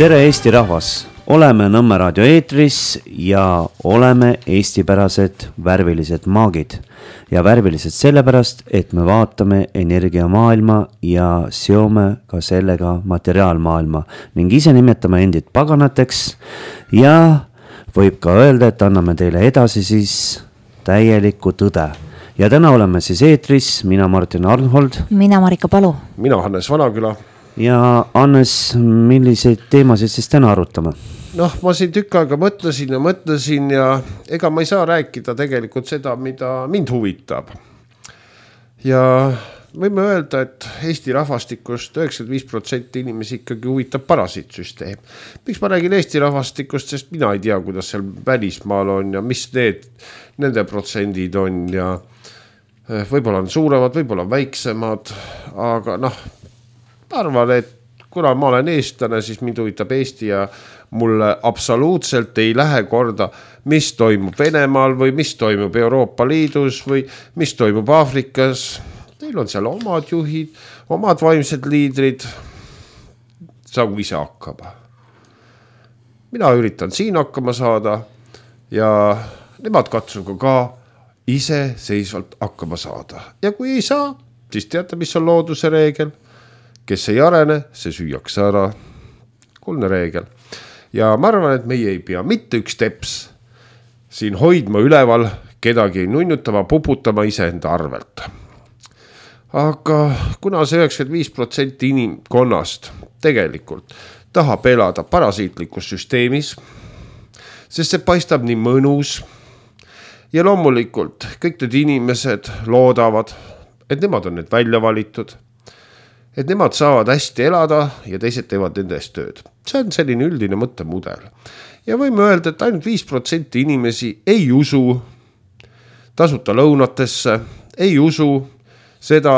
Tere Eesti rahvas! Oleme Nõmme raadio eetris ja oleme eestipärased värvilised maagid. Ja värvilised sellepärast, et me vaatame energiamaailma ja seome ka sellega materiaalmaailma ning ise nimetame endid paganateks ja võib ka öelda, et anname teile edasi siis täielikku tõde. Ja täna oleme siis eetris, mina Martin Arnhold. Mina Marika Palu. Mina Hannes Vanaküla. Ja Hannes, milliseid teemasid siis täna arutame? Noh, ma siin tükk aega mõtlesin ja ega ma ei saa rääkida tegelikult seda, mida mind huvitab. Ja võime öelda, et Eesti rahvastikust 95% inimesi ikkagi huvitab parasiitsüsteem. Miks ma räägin Eesti rahvastikust, sest mina ei tea, kuidas seal välismaal on ja mis nende protsendid on ja võib-olla on suuremad, võib-olla on väiksemad, aga arvan, et kuna ma olen eestlane, siis mind huvitab Eesti ja mulle absoluutselt ei lähe korda, mis toimub Venemaal või mis toimub Euroopa Liidus või mis toimub Aafrikas. Neil on seal omad juhid, omad vaimsed liidrid. Saagu ise hakkama. Mina üritan siin hakkama saada ja nemad katsuga ka ise seisvalt hakkama saada. Ja kui ei saa, siis teate, mis on looduse reegel. Kes ei arene, see süüakse ära. Kuulne reegel. Ja ma arvan, et meie ei pea mitte üks teps siin hoidma üleval, kedagi nunnutama, puputama iseenda arvelt. Aga kuna see 95% inimkonnast tegelikult tahab elada parasiitlikus süsteemis, sest see paistab nii mõnus ja loomulikult kõik need inimesed loodavad, et nemad on need välja valitud, et nemad saavad hästi elada ja teised teevad nende eest tööd. See on selline üldine mõttemudel. Ja võime öelda, et ainult 5% inimesi ei usu tasuta lõunatesse, ei usu seda,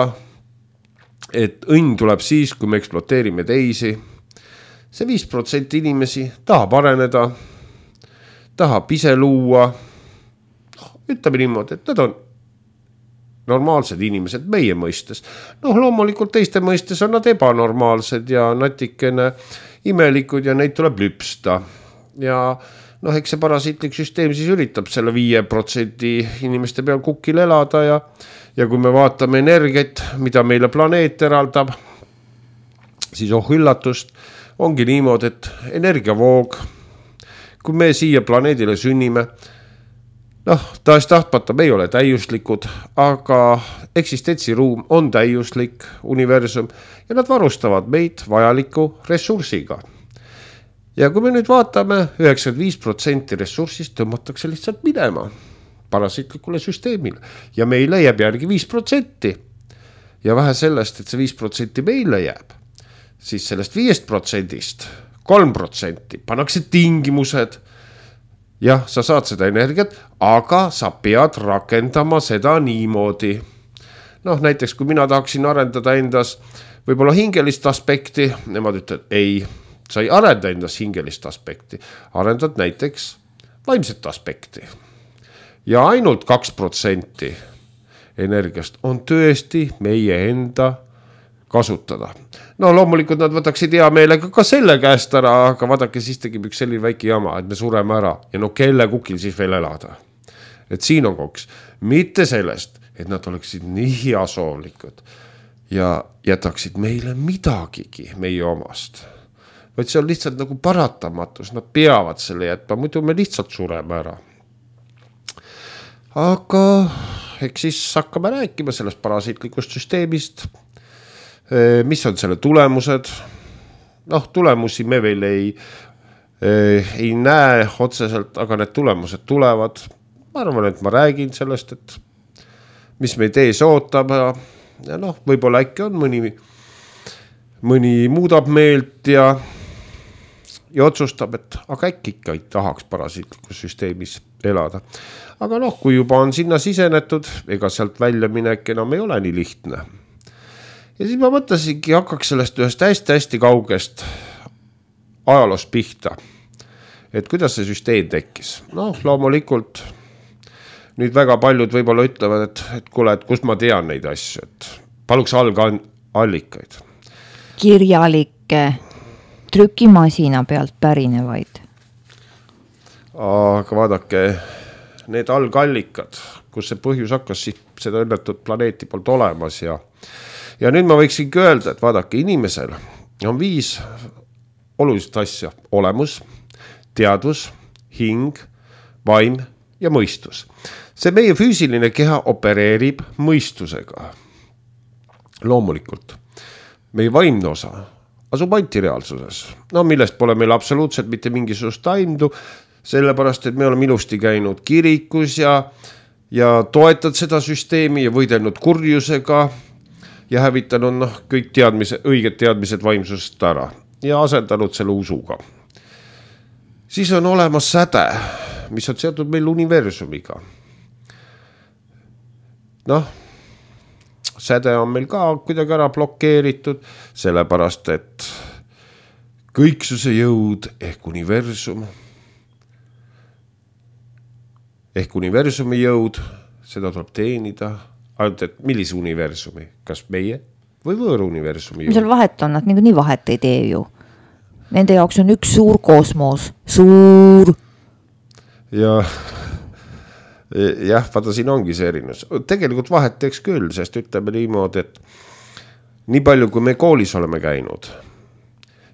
et õnn tuleb siis, kui me ekspluateerime teisi. See 5% inimesi tahab areneda, tahab ise luua. Ütleme niimoodi, et nad on normaalsed inimesed meie mõistes. Loomulikult teiste mõistes on nad ebanormaalsed ja natikene imelikud ja neid tuleb lüpsta. Ja eks see parasiitlik süsteem siis üritab selle 5% inimeste peal kukil elada ja kui me vaatame energiat, mida meile planeet eraldab, siis üllatust ongi niimoodi, et energiavoog, kui me siia planeedile sünnime, taas tahtmata me ei ole täiuslikud, aga eksistentsiruum on täiuslik universum ja nad varustavad meid vajaliku ressursiga. Ja kui me nüüd vaatame, 95% ressursist tõmmatakse lihtsalt minema parasiitlikule süsteemile ja meile jääb järgi 5%. Ja vähe sellest, et see 5% meile jääb, siis sellest 5%-st 3% pannakse tingimused. Jah, sa saad seda energiat, aga sa pead rakendama seda niimoodi. Näiteks kui mina tahaksin arendada endas võib-olla hingelist aspekti, nemad ütlevad, ei, sa ei arenda endas hingelist aspekti, arendad näiteks vaimset aspekti. Ja ainult 2% energiast on tõesti meie enda kasutada. Loomulikult nad võtaksid hea meelega ka selle käest ära, aga vaadake, siis tegib üks selline väike jama, et me sureme ära ja kelle kukil siis veel elada. Et siin on koks. Mitte sellest, et nad oleksid nii heasoovlikud ja jätaksid meile midagigi meie omast. Vaid see on lihtsalt nagu paratamatus, nad peavad selle jätma, muidu me lihtsalt sureme ära. Aga eks siis hakkame rääkima sellest parasiitlikust süsteemist, mis on selle tulemused. Tulemusi me veel ei näe otseselt, aga need tulemused tulevad. Ma arvan, et ma räägin sellest, et mis meid ees ootab ja võib-olla äkki on mõni muudab meelt ja otsustab, et aga äkki ikka ei tahaks parasiitlikus süsteemis elada. Aga kui juba on sinna sisenetud, ega sealt välja minek enam ei ole nii lihtne. Ja siis ma mõtlesingi, hakkaks sellest ühest hästi kaugest ajaloost pihta, et kuidas see süsteem tekkis. Loomulikult nüüd väga paljud võib-olla ütlevad, et kuule, et kust ma tean neid asju, et paluks algallikaid. Kirjalikke trükimasina pealt pärinevaid. Aga vaadake, need algallikad, kus see põhjus hakkas, siis seda õnnetud planeeti poolt olemas ja nüüd ma võiksingi öelda, et vaadake, inimesel on 5 olulist asja: olemus, teadvus, hing, vaim ja mõistus. See meie füüsiline keha opereerib mõistusega. Loomulikult. Meie vaimne osa asub antireaalsuses, millest pole meil absoluutselt mitte mingisugust aimdu, sellepärast, et me oleme ilusti käinud kirikus ja toetad seda süsteemi ja võidelnud kurjusega ja hävitanud kõik õiged teadmised vaimsusest ära ja asendanud selle usuga. Siis on olemas säde, mis on seotud meil universumiga. Säde on meil ka kuidagi ära blokeeritud, sellepärast, et kõiksuse jõud ehk universumi jõud, seda tuleb teenida, ainult et millise universumi, kas meie või võõra universumi jõud? Seal vahet on, nad nii vahet ei tee ju. Nende jaoks on üks suur kosmos, suur. Jah, vaata siin ongi see erinus. Tegelikult vahet teeks küll, sest ütleme niimoodi, et nii palju, kui me koolis oleme käinud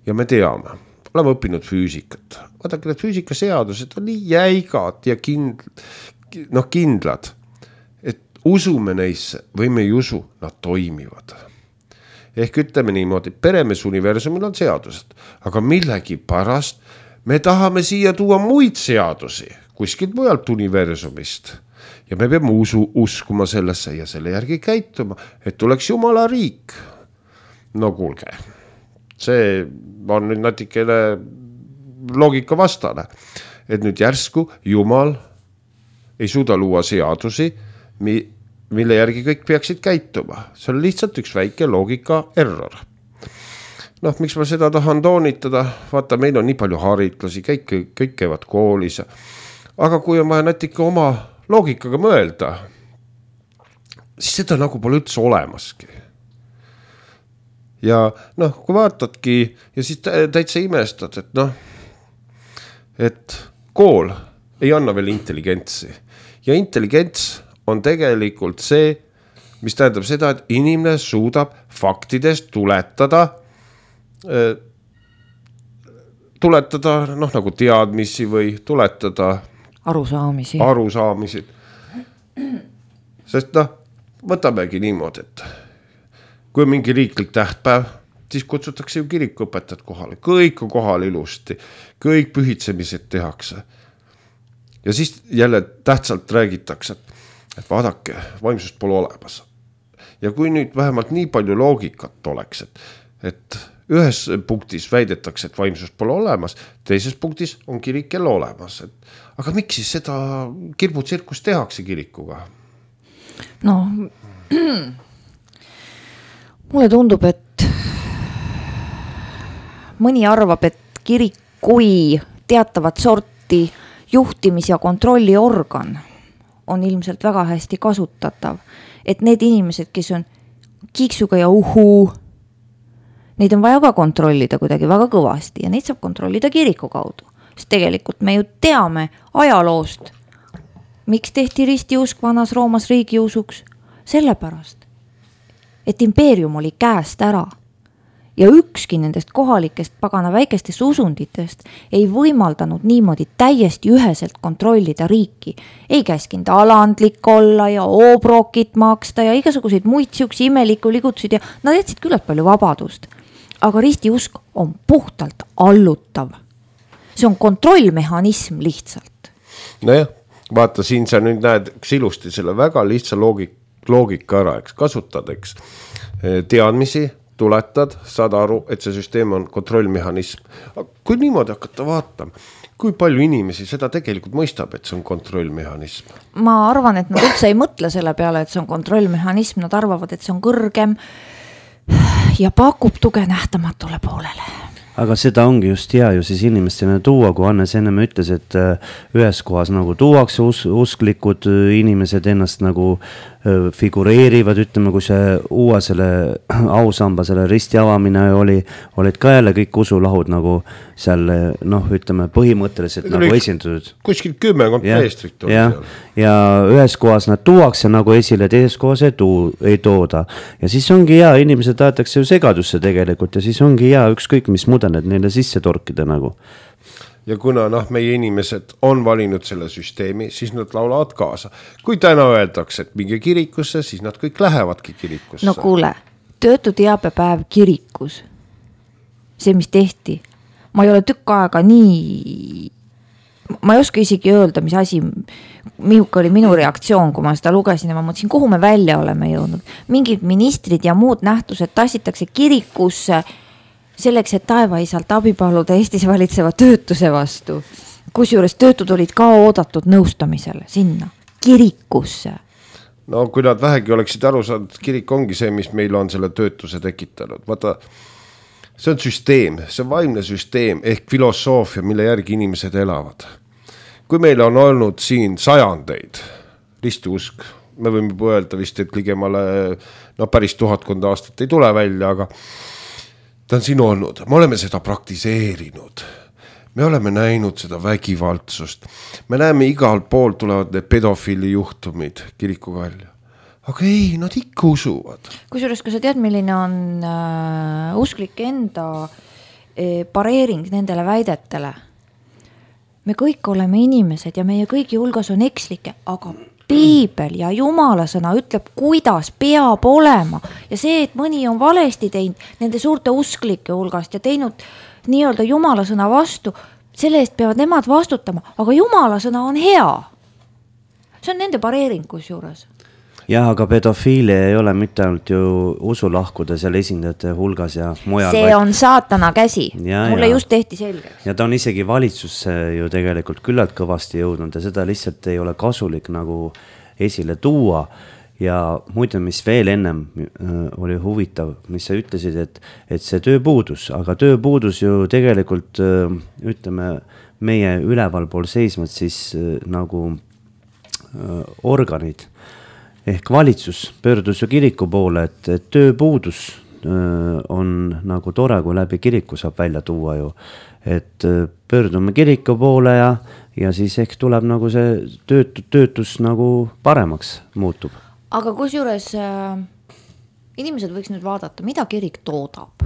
ja me teame, oleme õppinud füüsikat. Vaadake, need füüsikaseadused on nii jäigad ja kindlad, et usume neisse või me ei usu, nad toimivad. Ehk ütleme niimoodi, peremees universumil on seadused, aga millegi pärast me tahame siia tuua muid seadusi kuskilt mujalt universumist. Ja me peame uskuma sellesse ja selle järgi käituma, et tuleks Jumala riik. No kuulge, see on nüüd natikene loogika vastane, et nüüd järsku Jumal ei suuda luua seadusi, mille järgi kõik peaksid käituma. See on lihtsalt üks väike loogika error. Miks ma seda tahan toonitada? Vaata, meil on nii palju haritlasi, kõik käivad koolis. Aga kui on vaja natuke oma loogikaga mõelda, siis seda nagu pole üldse olemaski. Ja kui vaatadki ja siis täitsa imestad, et kool ei anna veel intelligentsi. Ja intelligents on tegelikult see, mis tähendab seda, et inimene suudab faktidest tuletada nagu teadmisi või tuletada arusaamisi. Sest võtamegi niimoodi, et kui on mingi riiklik tähtpäev, siis kutsutakse ju kirikuõpetajad kohale. Kõik on kohal ilusti, kõik pühitsemised tehakse. Ja siis jälle tähtsalt räägitakse, et vaadake, vaimsust pole olemas. Ja kui nüüd vähemalt nii palju loogikat oleks, et ühes punktis väidetakse, et vaimsust pole olemas, teises punktis on kirik jälle olemas. Aga miks siis seda kirbutsirkust tehakse kirikuga? Mulle tundub, et mõni arvab, et kirik kui teatavat sorti juhtimis- ja kontrolliorgan on ilmselt väga hästi kasutatav. Et need inimesed, kes on kiiksuga ja neid on vaja ka kontrollida kuidagi väga kõvasti ja neid saab kontrollida kiriku kaudu. Sest tegelikult me ju teame ajaloost, miks tehti ristiusk vanas Roomas riigiusuks? Sellepärast, et impeerium oli käest ära ja ükski nendest kohalikest pagana väikestest usunditest ei võimaldanud niimoodi täiesti üheselt kontrollida riiki. Ei käskinud alandlik olla ja obrokit maksta ja igasuguseid muid siuksi imeliku ligutusid ja nad jätsid küllalt palju vabadust. Aga ristiusk on puhtalt allutav. See on kontrollmehhanism lihtsalt. Nojah, vaata siin sa nüüd näed ilusti selle väga lihtsa loogika ära, kasutad, teadmisi, tuletad, saad aru, et see süsteem on kontrollmehhanism. Kui niimoodi hakata vaatama, kui palju inimesi seda tegelikult mõistab, et see on kontrollmehhanism? Ma arvan, et nad üldse ei mõtle selle peale, et see on kontrollmehhanism, nad arvavad, et see on kõrgem ja pakub tuge nähtamatule poolele. Aga seda ongi just hea ju siis inimestena tuua, kui Hannes enne ütles, et ühes kohas nagu tuuakse usklikud inimesed ennast nagu figureerivad, ütleme, kui see uue selle ausamba, selle risti avamine olid ka jälle kõik usulahud nagu seal, noh, ütleme põhimõtteliselt nagu esindatud. Kuskil 10 preestrit oli seal. Ja ühes kohas nad tuuakse nagu esile, teises kohas ei tooda. Ja siis ongi hea, inimesed tahetakse ju segadusse tegelikult ja siis ongi hea ükskõik, mis mudelid neile sisse torkida nagu. Ja kuna meie inimesed on valinud selle süsteemi, siis nad laulavad kaasa. Kui täna öeldakse, et minge kirikusse, siis nad kõik lähevadki kirikusse. No kuule, töötu teabepäev kirikus. See, mis tehti. Ma ei ole tükk aega nii... Ma ei oska isegi öelda, mis asi, mihuke oli minu reaktsioon, kui ma seda lugesin ja ma mõtlesin, kuhu me välja oleme jõudnud. Mingid ministrid ja muud nähtused tassitakse kirikusse selleks, et taevaisalt abi paluda Eestis valitseva töötuse vastu. Kusjuures töötud olid ka oodatud nõustamisele sinna, kirikusse. No kui nad vähegi oleksid aru saanud, kirik ongi see, mis meil on selle töötuse tekitanud. Vaata, see on süsteem, see on vaimne süsteem ehk filosoofia, mille järgi inimesed elavad. Kui meil on olnud siin sajandeid, ristiusk, me võime öelda vist, et ligemale päris 1000 aastat ei tule välja, aga ta on siin olnud, me oleme seda praktiseerinud, me oleme näinud seda vägivaldsust, me näeme igal pool tulevad need pedofiili juhtumid kiriku välja, aga ei, nad ikka usuvad. Kusjuures, kui sa tead, milline on usklike enda pareering nendele väidetele, me kõik oleme inimesed ja meie kõigi hulgas on ekslike, aga Piibel ja Jumala sõna ütleb, kuidas peab olema. Ja see, et mõni on valesti teinud nende suurte usklike hulgast ja teinud nii-öelda Jumala sõna vastu, selle eest peavad nemad vastutama, aga Jumala sõna on hea. See on nende pareering kusjuures. Jah, aga pedofiilia ei ole mitte ainult ju usulahkude seal esindajate hulgas ja mujal. See on saatana käsi. Mulle just tehti selgeks. Ja ta on isegi valitsusse ju tegelikult küllalt kõvasti jõudnud ja seda lihtsalt ei ole kasulik nagu esile tuua. Ja muide, mis veel ennem oli huvitav, mis sa ütlesid, et see tööpuudus, aga tööpuudus ju tegelikult, ütleme, meie ülevalpool seisvad siis nagu organid. Ehk valitsus pöördus ju kiriku poole, et tööpuudus on nagu tore, kui läbi kiriku saab välja tuua ju. Et pöördume kiriku poole ja siis ehk tuleb nagu see töötus nagu paremaks muutub. Aga kusjuures inimesed võiks nüüd vaadata, mida kirik toodab.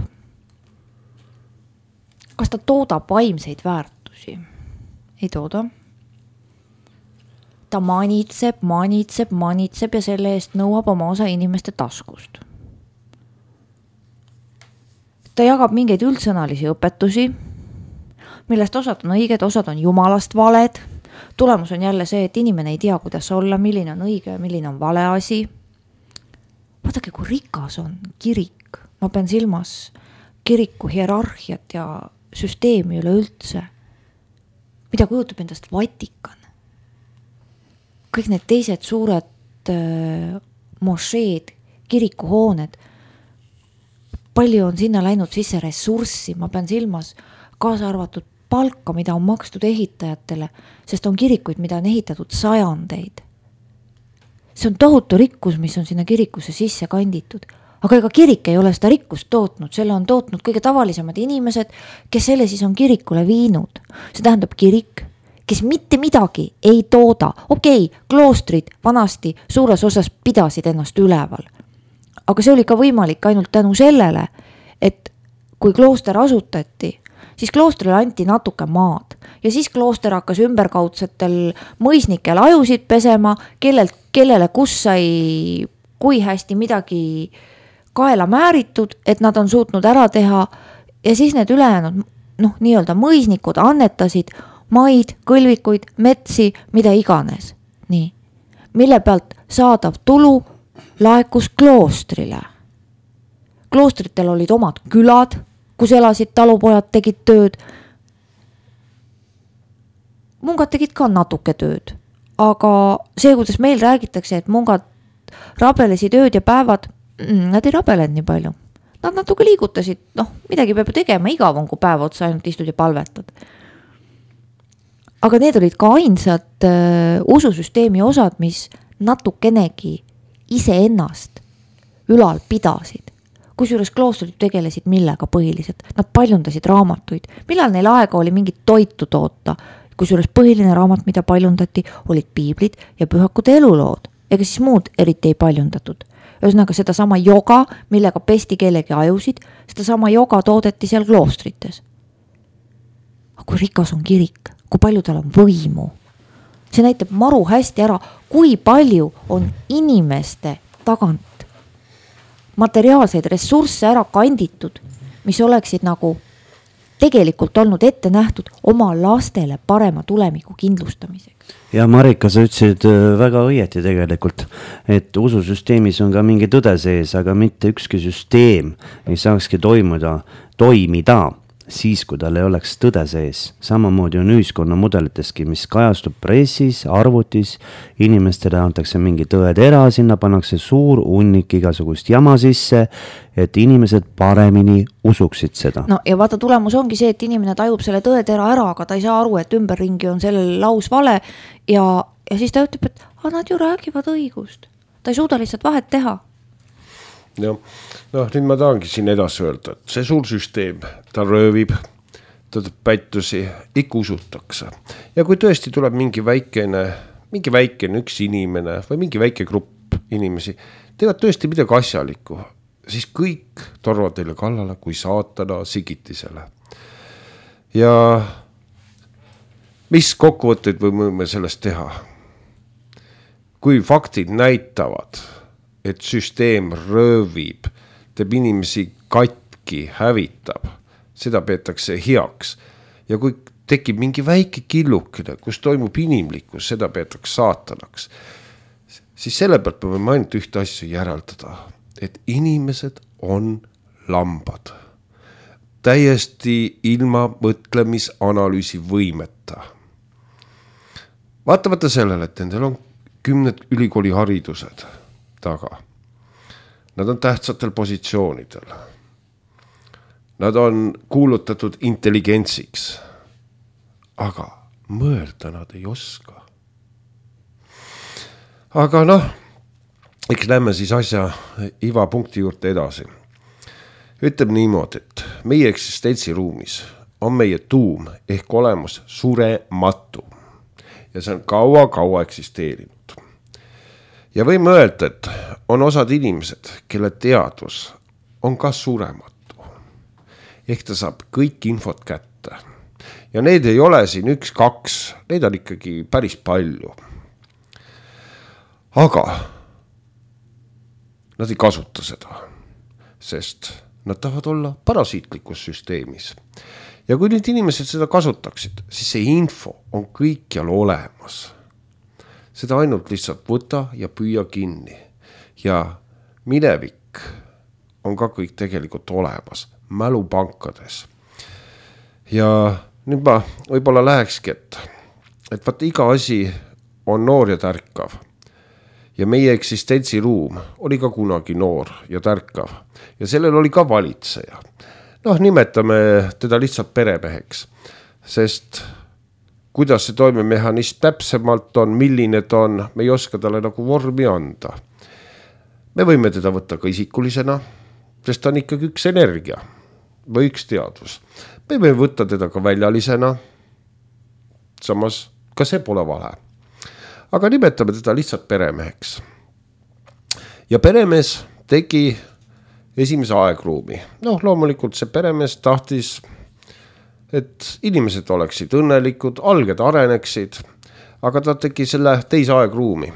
Kas ta toodab vaimseid väärtusi? Ei tooda. Ta manitseb ja selle eest nõuab oma osa inimeste taskust. Ta jagab mingeid üldsõnalisi õpetusi, millest osad on õiged, osad on jumalast valed. Tulemus on jälle see, et inimene ei tea, kuidas olla, milline on õige ja milline on vale asi. Vaadake, kui rikas on kirik. Ma pean silmas kiriku hierarhiat ja süsteemi üle üldse. Mida kujutab endast Vatikan? Kõik need teised suured mošeed, kirikuhooned, palju on sinna läinud sisse ressurssi, ma pean silmas kaasa arvatud palka, mida on makstud ehitajatele, sest on kirikuid, mida on ehitatud sajandeid. See on tohutu rikkus, mis on sinna kirikusse sisse kanditud, aga ega kirik ei ole seda rikkust tootnud, selle on tootnud kõige tavalisemad inimesed, kes selle siis on kirikule viinud. See tähendab kirik, kes mitte midagi ei tooda. Okei, kloostrid vanasti suures osas pidasid ennast üleval. Aga see oli ka võimalik ainult tänu sellele, et kui klooster asutati, siis kloostrile anti natuke maad. Ja siis klooster hakkas ümberkaudsetel mõisnikel ajusid pesema, kellele kus sai kui hästi midagi kaela määritud, et nad on suutnud ära teha. Ja siis need ülejäänud, nii-öelda mõisnikud annetasid maid, kõlvikuid, metsi, mida iganes. Nii. Mille pealt saadav tulu laekus kloostrile. Kloostritel olid omad külad, kus elasid talupojad, tegid tööd. Mungad tegid ka natuke tööd. Aga see, kuidas meil räägitakse, et mungad rabelesid ööd ja päevad, nad ei rabelenud nii palju. Nad natuke liigutasid, midagi peab tegema, igav on, kui päeva otsa ainult istud ja palvetad. Aga need olid ka ainsad ususüsteemi osad, mis natukenegi iseennast ülal pidasid. Kusjuures kloostrid tegelesid millega põhiliselt? Nad paljundasid raamatuid. Millal neil aega oli mingit toitu toota? Kusjuures põhiline raamat, mida paljundati, olid piiblid ja pühakude elulood. Ega siis muud eriti ei paljundatud. Ühesõnaga seda sama joga, millega pesti kellegi ajusid, seda sama joga toodeti seal kloostrites. Aga kui rikas on kirik, kui palju tal on võimu? See näitab maru hästi ära, kui palju on inimeste tagant materiaalseid ressursse ära kanditud, mis oleksid nagu tegelikult olnud ette nähtud oma lastele parema tulemiku kindlustamiseks. Ja Marika, sa ütlesid väga õieti tegelikult, et ususüsteemis on ka mingi tõde sees, aga mitte ükski süsteem ei saakski toimida siis, kui tal ei oleks tõde sees. Samamoodi on ühiskonna mudeliteski, mis kajastub pressis, arvutis, inimestele antakse mingi tõetera, sinna pannakse suur hunnik igasugust jama sisse, et inimesed paremini usuksid seda. No ja vaata, tulemus ongi see, et inimene tajub selle tõetera ära, aga ta ei saa aru, et ümberringi on sellel laus vale ja siis ta ütleb, et nad ju räägivad õigust. Ta ei suuda lihtsalt vahet teha. Nüüd ma tahangi siin edasi öelda, et see suur süsteem, ta röövib, ta pättusi, ikka usutakse. Ja kui tõesti tuleb mingi väikene üks inimene või mingi väike grupp inimesi, teevad tõesti midagi asjalikku, siis kõik torvad teile kallale kui saatana sigitisele. Ja mis kokkuvõtteid võime sellest teha? Kui faktid näitavad, et süsteem röövib, teeb inimesi katki, hävitab, seda peetakse heaks. Ja kui tekib mingi väike killukene, kus toimub inimlikkus, seda peetakse saatanaks, siis selle pealt me võime ainult ühte asja järeldada, et inimesed on lambad. Täiesti ilma mõtlemisanalüüsi võimeta. Vaatamata sellele, et nendel on 10 ülikooli haridused taga. Nad on tähtsatel positsioonidel. Nad on kuulutatud intelligentsiks. Aga mõelda nad ei oska. Aga eks lähme siis asja iva punkti juurde edasi. Ütleb niimoodi, et meie eksistentsiruumis on meie tuum ehk olemus surematu. Ja see on kaua eksisteerinud. Ja võime öelda, et on osad inimesed, kelle teadvus on ka surematu. Ehk ta saab kõik infot kätte. Ja need ei ole siin 1-2, need on ikkagi päris palju. Aga nad ei kasuta seda, sest nad tahavad olla parasiitlikus süsteemis. Ja kui nüüd inimesed seda kasutaksid, siis see info on kõikjal olemas. Seda ainult lihtsalt võta ja püüa kinni. Ja minevik on ka kõik tegelikult olemas, mälupankades. Ja nüüd ma võib-olla lähekski, et vaata iga asi on noor ja tärkav. Ja meie eksistentsiruum oli ka kunagi noor ja tärkav. Ja sellel oli ka valitseja. Nimetame teda lihtsalt peremeheks, sest kuidas see toimemehhanism täpsemalt on, milline ta on, me ei oska talle nagu vormi anda. Me võime teda võtta ka isikulisena, sest ta on ikkagi üks energia või üks teadvus. Me võime võtta teda ka väljalisena, samas ka see pole vale. Aga nimetame teda lihtsalt peremeheks. Ja peremees tegi esimese aegruumi. Loomulikult see peremees tahtis, et inimesed oleksid õnnelikud, alged areneksid, aga ta tegi selle teise aegruumi.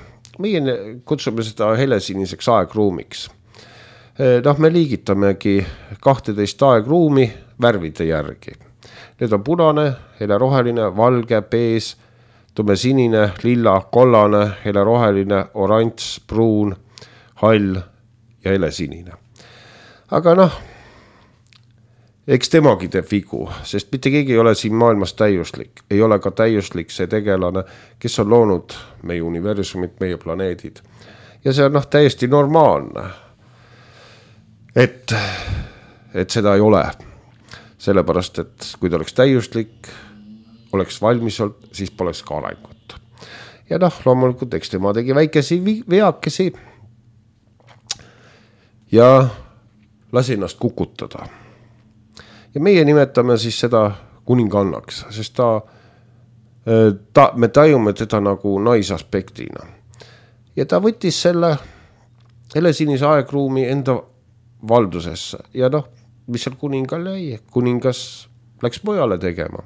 Meie kutsume seda helesiniseks aegruumiks. Me liigitamegi 12 aegruumi värvide järgi. Need on punane, heleroheline, valge, bees, tumesinine, lilla, kollane, heleroheline, oranž, pruun, hall ja helesinine. Aga eks temagi teeb vigu, sest mitte keegi ei ole siin maailmas täiuslik. Ei ole ka täiuslik see tegelane, kes on loonud meie universumit, meie planeedid. Ja see on täiesti normaalne, et seda ei ole. Sellepärast, et kui ta oleks täiuslik, oleks valmis olnud, siis poleks ka arengut. Ja loomulikult, eks tema tegi väikesi veakesi ja lasi ennast kukutada. Ja meie nimetame siis seda kuningannaks, sest me tajume teda nagu naisaspektina. Ja ta võttis selle helesinise aegruumi enda valdusesse ja mis seal kuningal jäi, kuningas läks mujale tegema.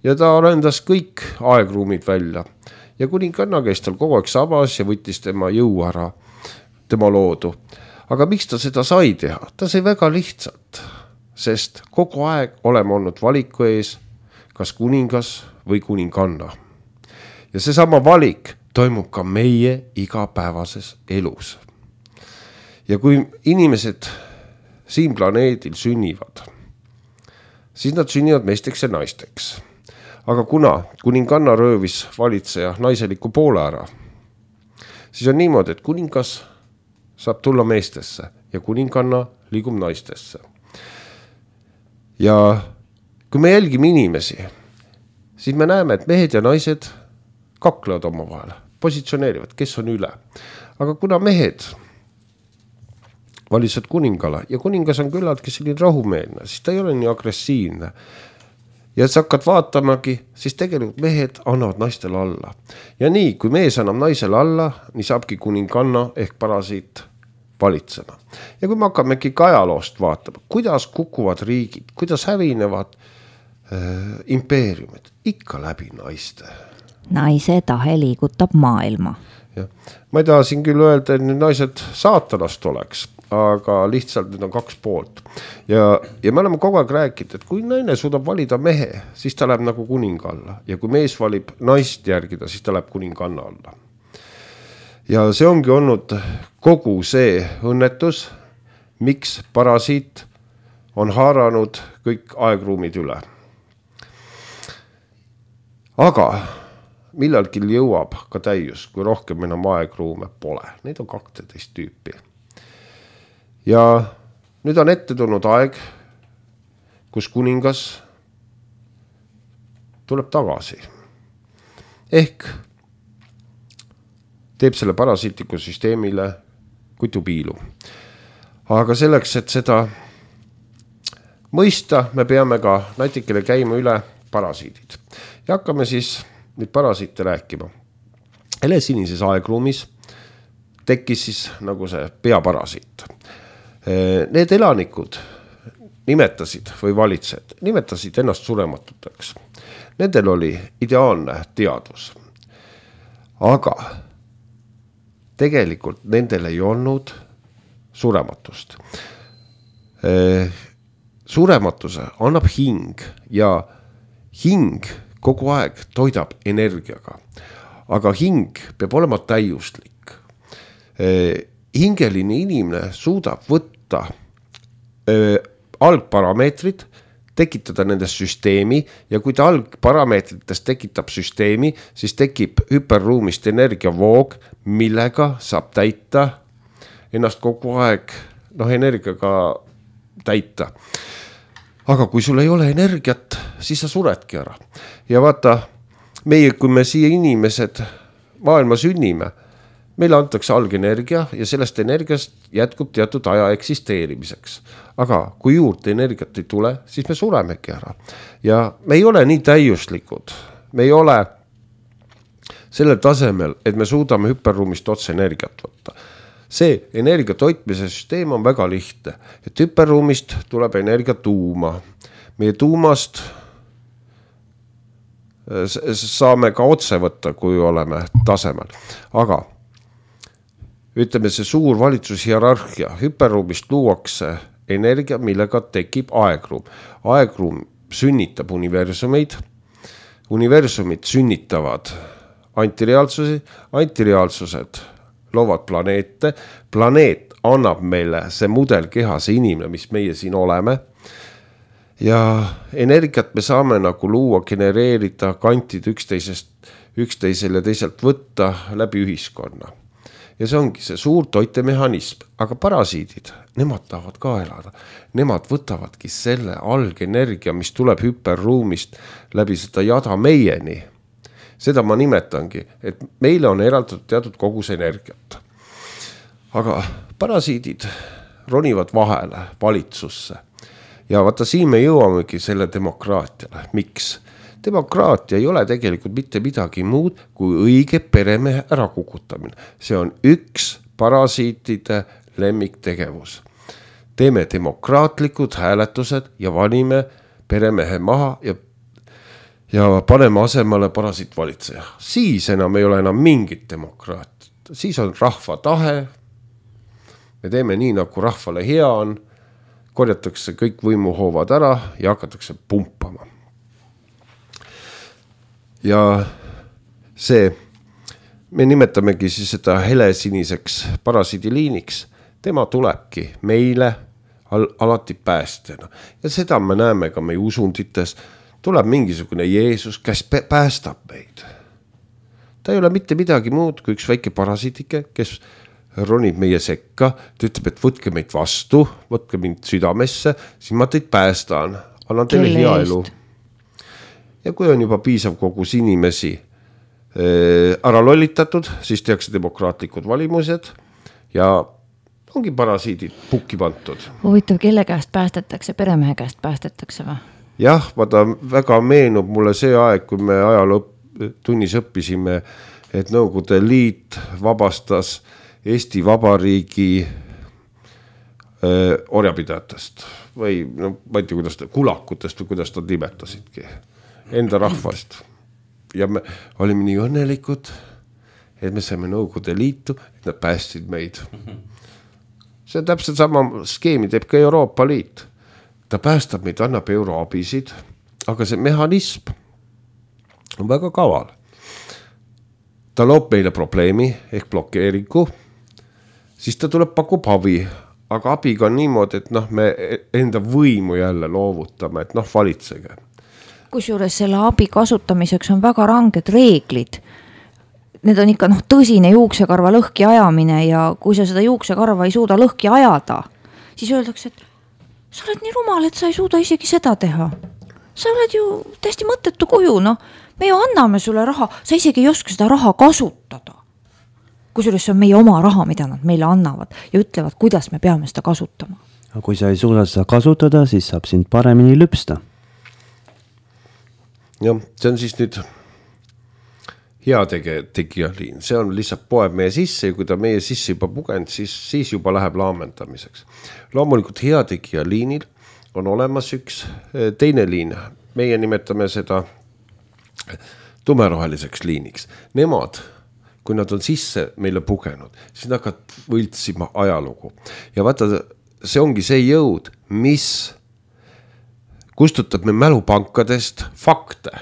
Ja ta arendas kõik aegruumid välja. Ja kuninganna käis tal kogu aeg sabas ja võttis tema jõu ära, tema loodu. Aga miks ta seda sai teha? Ta sai väga lihtsalt, sest kogu aeg oleme olnud valiku ees, kas kuningas või kuninganna. Ja seesama valik toimub ka meie igapäevases elus. Ja kui inimesed siin planeedil sünnivad, siis nad sünnivad meesteks ja naisteks. Aga kuna kuninganna röövis valitseja naiseliku poole ära, siis on niimoodi, et kuningas saab tulla meestesse ja kuninganna liigub naistesse. Ja kui me jälgime inimesi, siis me näeme, et mehed ja naised kaklevad oma vahel, positsioneerivad, kes on üle. Aga kuna mehed valitsevad kuningale ja kuningas on küllaltki selline rahumeelne, siis ta ei ole nii agressiivne. Ja sa hakkad vaatamagi, siis tegelikult mehed annavad naistele alla. Ja nii, kui mees annab naisele alla, nii saabki kuninganna ehk parasiit valitsema. Ja kui me hakkamegi ajaloost vaatama, kuidas kukuvad riigid, kuidas hävinevad impeeriumid, ikka läbi naiste. Naise tahe liigutab maailma. Ja. Ma ei taha siin küll öelda, et need naised saatanast oleks, aga lihtsalt need on kaks poolt. Ja me oleme kogu aeg rääkinud, et kui naine suudab valida mehe, siis ta läheb nagu kuninga alla. Ja kui mees valib naist järgida, siis ta läheb kuninganna alla. Ja see ongi olnud kogu see õnnetus, miks parasiit on haaranud kõik aegruumid üle. Aga millalgi jõuab ka täius, kui rohkem enam aegruume pole. Neid on 12 tüüpi. Ja nüüd on ette tulnud aeg, kus kuningas tuleb tagasi. Ehk teeb selle parasiitliku süsteemile kutupiilu. Aga selleks, et seda mõista, me peame ka natikene käima üle parasiidid. Ja hakkame siis nüüd parasiite rääkima. Helesinises aegruumis tekkis siis nagu see peaparasiit. Need elanikud nimetasid või valitsed, nimetasid ennast surematuteks. Nendel oli ideaalne teadvus. Aga tegelikult nendel ei olnud surematust. Surematuse annab hing ja hing kogu aeg toidab energiaga. Aga hing peab olema täiuslik. Hingeline inimene suudab võtta algparameetrid, tekitada nendest süsteemi ja kui ta algparameetritest tekitab süsteemi, siis tekib hüperruumist energiavoog, millega saab täita ennast kogu aeg energiaga täita. Aga kui sul ei ole energiat, siis sa suredki ära. Ja vaata, kui me siia inimesed maailma sünnime, meile antakse algenergia ja sellest energiast jätkub teatud aja eksisteerimiseks. Aga kui juurde energiat ei tule, siis me suremegi ära. Ja me ei ole nii täiuslikud. Me ei ole sellel tasemel, et me suudame hüperruumist otse energiat võtta. See energia toitmise süsteem on väga lihtne. Et hüperruumist tuleb energia tuuma. Meie tuumast saame ka otse võtta, kui oleme tasemel. Aga ütleme, see suur valitsushierarhia, hüperruumist luuakse energia, millega tekib aegruum. Aegruum sünnitab universumeid, universumid sünnitavad antireaalsusi, antireaalsused loovad planeete, planeet annab meile see mudelkeha, see inimene, mis meie siin oleme. Ja energiat me saame nagu luua, genereerida, kantid üksteisele teiselt võtta läbi ühiskonna. Ja see ongi see suur toitemehhanism, aga parasiidid, nemad tahavad ka elada. Nemad võtavadki selle algenergia, mis tuleb hüperruumist läbi seda jada meieni. Seda ma nimetangi, et meile on eraldatud teatud kogus energiat. Aga parasiidid ronivad vahele valitsusse. Ja vaata, siin me jõuamegi selle demokraatiale. Miks? Demokraatia ei ole tegelikult mitte midagi muud kui õige peremehe ärakukutamine. See on üks parasiitide lemmiktegevus. Teeme demokraatlikud hääletused ja valime peremehe maha ja paneme asemale parasiitvalitseja. Siis enam ei ole enam mingit demokraatiat. Siis on rahva tahe. Me teeme nii, nagu rahvale hea on. Korjatakse kõik võimuhoovad ära ja hakatakse pumpama. Ja see, me nimetamegi siis seda helesiniseks parasiidiliiniks. Tema tulebki meile alati päästjana. Ja seda me näeme ka meie usundites. Tuleb mingisugune Jeesus, kes päästab meid. Ta ei ole mitte midagi muud kui üks väike parasiitike, kes ronib meie sekka. Ta ütleb, et võtke meid vastu, võtke mind südamesse, siis ma teid päästan. Annan teile hea elu. Ja kui on juba piisav kogus inimesi ära lollitatud, siis tehakse demokraatlikud valimused ja ongi parasiidid pukki pantud. Huvitav, kelle käest päästetakse, peremehe käest päästetakse või? Jah, vaata, väga meenub mulle see aeg, kui me ajalootunnis õppisime, et Nõukogude Liit vabastas Eesti Vabariigi orjapidajatest või no, ma ei tea, kuidas kulakutest või kuidas ta nimetasidki. Enda rahvast. Ja me olime nii õnnelikud, et me saime Nõukogude Liitu, et nad päästsid meid. See on täpselt sama skeemi teeb ka Euroopa Liit. Ta päästab meid, annab euroabisid, aga see mehhanism on väga kaval. Ta loob meile probleemi ehk blokeeringu, siis ta tuleb pakub abi, aga abiga on niimoodi, et me enda võimu jälle loovutame, et valitsege. Kusjuures selle abi kasutamiseks on väga ranged reeglid. Need on ikka tõsine juuksekarva lõhki ajamine ja kui sa seda juuksekarva ei suuda lõhki ajada, siis öeldakse, et sa oled nii rumal, et sa ei suuda isegi seda teha. Sa oled ju täiesti mõttetu kuju, me ju anname sulle raha, sa isegi ei oska seda raha kasutada. Kusjuures see on meie oma raha, mida nad meile annavad ja ütlevad, kuidas me peame seda kasutama. Aga kui sa ei suuda seda kasutada, siis saab sind paremini lüpsta. Jah, see on siis nüüd hea tegija liin. See on lihtsalt poeb meie sisse ja kui ta meie sisse juba pugend, siis juba läheb laamendamiseks. Loomulikult hea tegija liinil on olemas üks teine liin. Meie nimetame seda tumeroheliseks liiniks. Nemad, kui nad on sisse meile pugenud, siis nad hakkavad võltsima ajalugu. Ja vaata, see ongi see jõud, mis kustutab me mälupankadest fakte.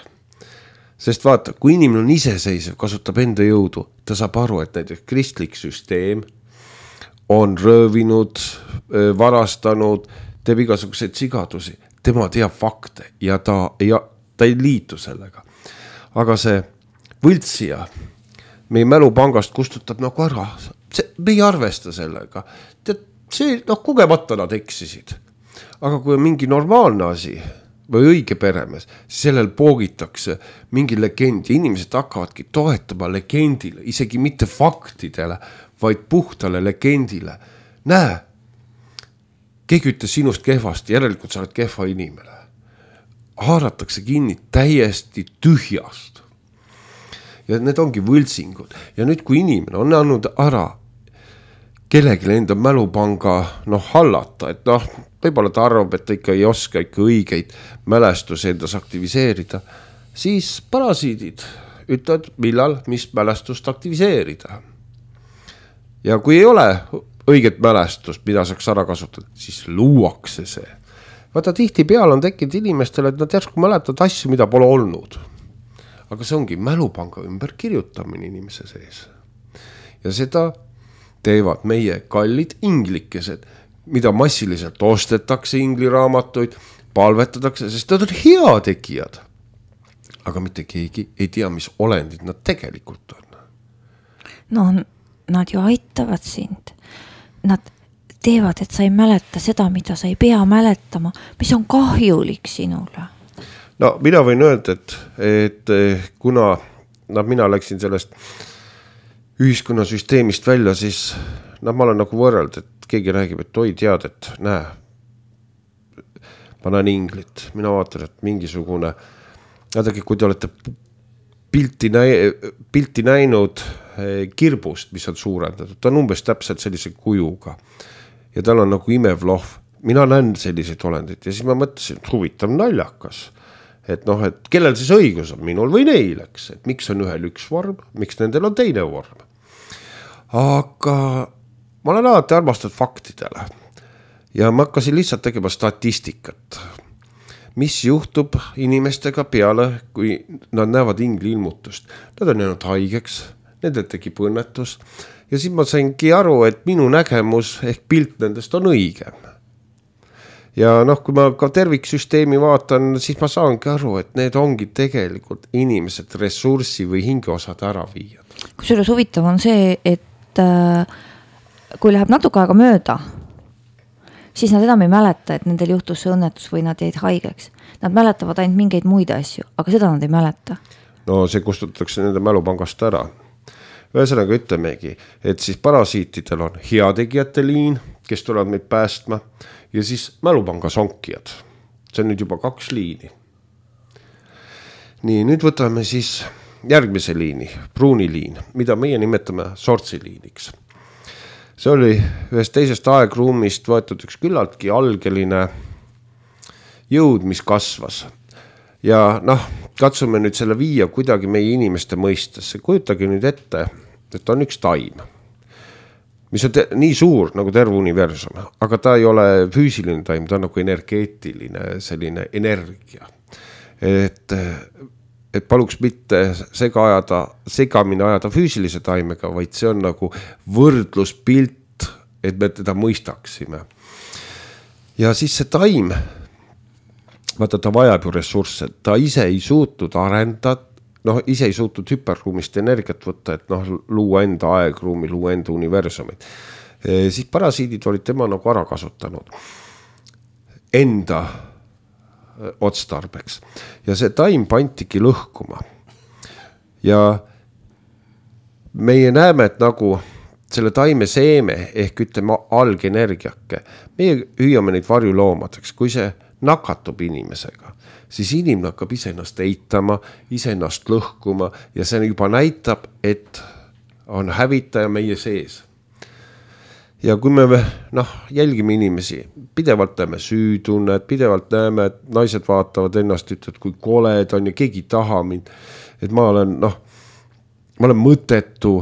Sest vaata, kui inimene on iseseisev, kasutab enda jõudu, ta saab aru, et näiteks kristlik süsteem on röövinud, varastanud, teeb igasuguseid sigadusi. Tema teab fakte ja ta ei liitu sellega. Aga see võltsija meie mälupangast kustutab nagu ära. Me ei arvesta sellega. See, kogemata nad eksisid. Aga kui on mingi normaalne asi või õige peremees, siis sellel poogitakse mingi legend ja inimesed hakkavadki toetama legendile, isegi mitte faktidele, vaid puhtale legendile. Näe, keegi ütles sinust kehvasti, järelikult sa oled kehva inimene. Haaratakse kinni täiesti tühjast. Ja need ongi võltsingud. Ja nüüd, kui inimene on andnud ära kellegi enda mälupanga hallata, et võib-olla ta arvab, et ta ikka ei oska ikka õigeid mälestusi endas aktiviseerida, siis parasiidid ütlevad, millal, mis mälestust aktiviseerida. Ja kui ei ole õiget mälestust, mida saaks ära kasutada, siis luuakse see. Vaata, tihti peal on tekkinud inimestele, et nad järsku mäletavad asju, mida pole olnud. Aga see ongi mälupanga ümber kirjutamine inimese sees. Ja seda teevad meie kallid inglikesed, mida massiliselt ostetakse ingliraamatuid, palvetatakse, sest nad on hea tegijad. Aga mitte keegi ei tea, mis olendid nad tegelikult on. Nad ju aitavad sind. Nad teevad, et sa ei mäleta seda, mida sa ei pea mäletama, mis on kahjulik sinule. Mina võin öelda, et kuna mina läksin sellest ühiskonnasüsteemist välja, siis ma olen nagu võrreld, et keegi räägib, et oi tead, et näe, ma näen inglit, mina vaatan, et mingisugune, vaadagi, kui te olete pilti näinud kirbust, mis on suurendatud, ta on umbes täpselt sellise kujuga ja tal on nagu imev lohv. Mina näen selliseid olendid ja siis ma mõtlesin, et huvitav naljakas, et et kellel siis õigus on, minul või neil, eks, et miks on ühel üks vorm, miks nendel on teine vorm. Aga ma olen alati armastanud faktidele ja ma hakkasin lihtsalt tegema statistikat. Mis juhtub inimestega peale, kui nad näevad ingli ilmutust. Nad on jäänud haigeks, nendel tekib õnnetus ja siis ma saingi aru, et minu nägemus ehk pilt nendest on õigem. Ja kui ma ka terviksüsteemi vaatan, siis ma saangi aru, et need ongi tegelikult inimesed ressurssi või hingeosad ära viiad. Kusjuures huvitav on see, et kui läheb natuke aega mööda, siis nad enam ei mäleta, et nendel juhtus see õnnetus või nad jäid haigeks. Nad mäletavad ainult mingeid muid asju, aga seda nad ei mäleta. No see kustutatakse nende mälupangast ära. Ühesõnaga ütlemegi, et siis parasiitidel on heategijate liin, kes tulevad meid päästma ja siis mälupanga sonkijad. See on nüüd juba 2 liini. Nii, nüüd võtame siis järgmise liini, pruuni liin, mida meie nimetame sortsiliiniks. See oli ühest teisest aegruumist võetud üks küllaltki algeline jõud, mis kasvas. Ja katsume nüüd selle viia kuidagi meie inimeste mõistesse. Kujutage nüüd ette, et on üks taim, mis on nii suur nagu terve universum, aga ta ei ole füüsiline taim, ta on nagu energeetiline, selline energia. Et paluks mitte segamini ajada füüsilise taimega, vaid see on nagu võrdluspilt, et me teda mõistaksime. Ja siis see taim, vaata ta vajab ju ressursse, ta ise ei suutnud arendada, ise ei suutnud hüperruumist energiat võtta, et luua enda aegruumi, luua enda universumit. Siis parasiidid olid tema nagu ära kasutanud enda otstarbeks. Ja see taim pantigi lõhkuma. Ja meie näeme, et nagu selle taime seeme ehk ütleme algenergiake, meie hüüame neid varjuloomadeks, kui see nakatub inimesega, siis inimene hakkab iseennast eitama, iseennast lõhkuma ja see juba näitab, et on hävitaja meie sees. Ja kui me jälgime inimesi, pidevalt näeme süütunnet, pidevalt näeme, et naised vaatavad ennast, ütlevad, kui koled on ja keegi taha mind, et ma olen mõttetu,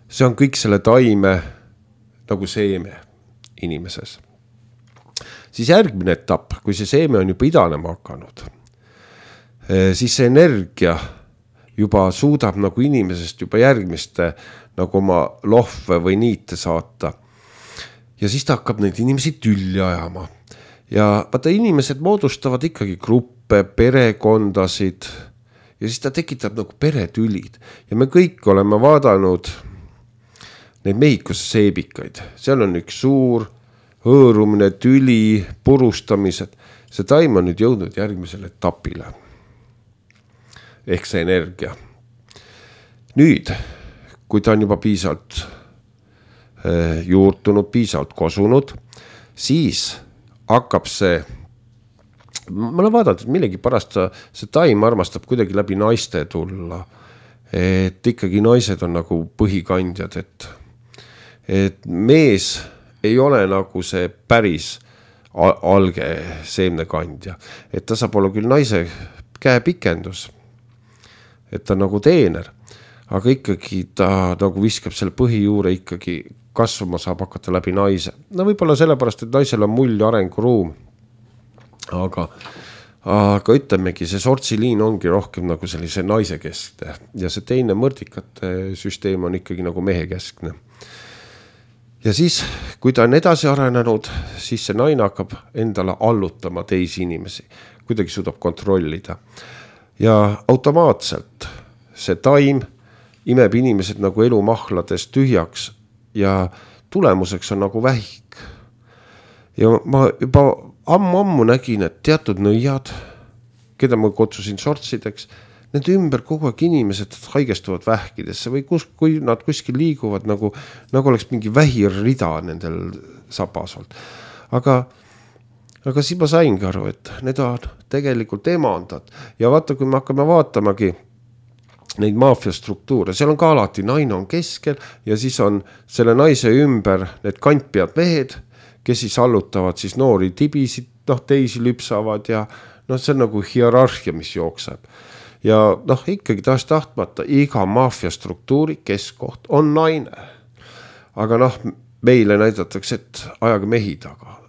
see on kõik selle taime nagu seeme inimeses. Siis järgmine etapp, kui see seeme on juba idanema hakanud, siis see energia juba suudab nagu inimesest juba järgmiste nagu oma lohve või niite saata. Ja siis ta hakkab neid inimesi tülli ajama. Ja vaata, inimesed moodustavad ikkagi gruppe, perekondasid ja siis ta tekitab nagu peretülid. Ja me kõik oleme vaadanud neid Mehhikose seebikaid. Seal on üks suur hõõrumine, tüli, purustamised. See taim on nüüd jõudnud järgmisele etapile. Ehk see energia. Nüüd, kui ta on juba piisavalt juurtunud, piisavalt kosunud, siis hakkab see, ma olen vaadanud, et millegi pärast see taim armastab kuidagi läbi naiste tulla, et ikkagi naised on nagu põhikandjad, et mees ei ole nagu see päris alge seemnekandja, et ta saab olla küll naise käepikendus, et ta nagu teener, aga ikkagi ta nagu viskab selle põhijuure ikkagi kasvama saab hakata läbi naise. Võib-olla sellepärast, et naisel on mull arenguruum, aga ütlemegi, see sortsiliin ongi rohkem nagu sellise naise keskne ja see teine mõrdikate süsteem on ikkagi nagu mehe keskne. Ja siis, kui ta on edasi arenenud, siis see naine hakkab endale allutama teisi inimesi, kuidagi suudab kontrollida. Ja automaatselt see taim imeb inimesed nagu elumahladest tühjaks ja tulemuseks on nagu vähik. Ja ma juba ammu nägin, et teatud nõiad, keda ma kutsusin sortsideks, nende ümber kogu aeg inimesed haigestuvad vähkidesse või kui nad kuskil liiguvad nagu oleks mingi vähirrida nendel sabas olnud. Aga siis ma saingi aru, et need on tegelikult emandad ja vaata, kui me hakkame vaatamagi neid maafiastruktuure, seal on ka alati naine on keskel ja siis on selle naise ümber need kantpead mehed, kes siis allutavad siis noori tibisid, teisi lüpsavad ja see on nagu hierarhia, mis jookseb. Ja ikkagi tahtmata iga maafiastruktuuri keskkoht on naine. Aga meile näidatakse, et ajage mehi taga.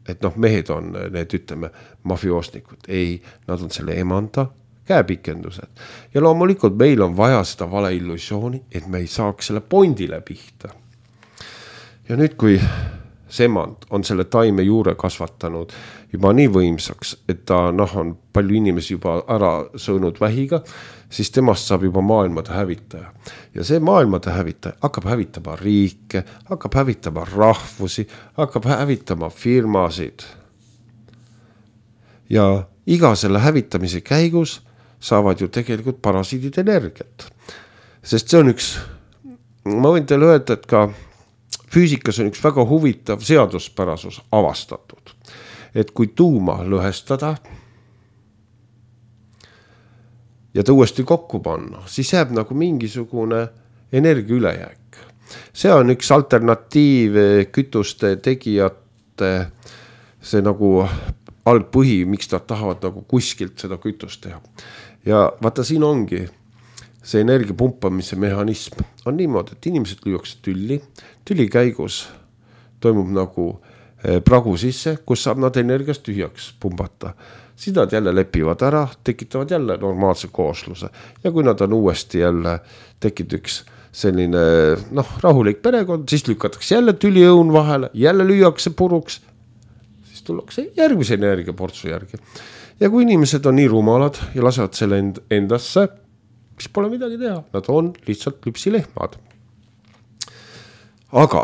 Et mehed on need, ütleme, mafioosnikud. Ei, nad on selle emanda käepikendused. Ja loomulikult meil on vaja seda valeillusiooni, et me ei saaks selle pondile pihta. Ja nüüd, kui see emand on selle taime juure kasvatanud juba nii võimsaks, et ta on palju inimesi juba ära sõõnud vähiga, siis temast saab juba maailmade hävitaja. Ja see maailmade hävitaja hakkab hävitama riike, hakkab hävitama rahvusi, hakkab hävitama firmasid. Ja iga selle hävitamise käigus saavad ju tegelikult parasiidid energiat. Sest see on ma võin teile öelda, et ka füüsikas on üks väga huvitav seaduspärasus avastatud. Et kui tuuma lõhestada ja ta uuesti kokku panna, siis jääb nagu mingisugune energia ülejääk. See on üks alternatiiv kütuste tegijate see nagu algpõhi, miks nad tahavad nagu kuskilt seda kütust teha. Ja vaata siin ongi see energia pumpamise mehhanism on niimoodi, et inimesed lüüakse tülli käigus toimub nagu pragu sisse, kus saab nad energiast tühjaks pumbata. Siis nad jälle lepivad ära, tekitavad jälle normaalse koosluse. Ja kui nad on uuesti jälle tekib üks selline rahulik perekond, siis lükatakse jälle tüliõun vahele, jälle lüüakse puruks, siis tullakse järgmise energiaportsu järgi. Ja kui inimesed on nii rumalad ja lasevad selle endasse, siis pole midagi teha. Nad on lihtsalt lüpsilehmad. Aga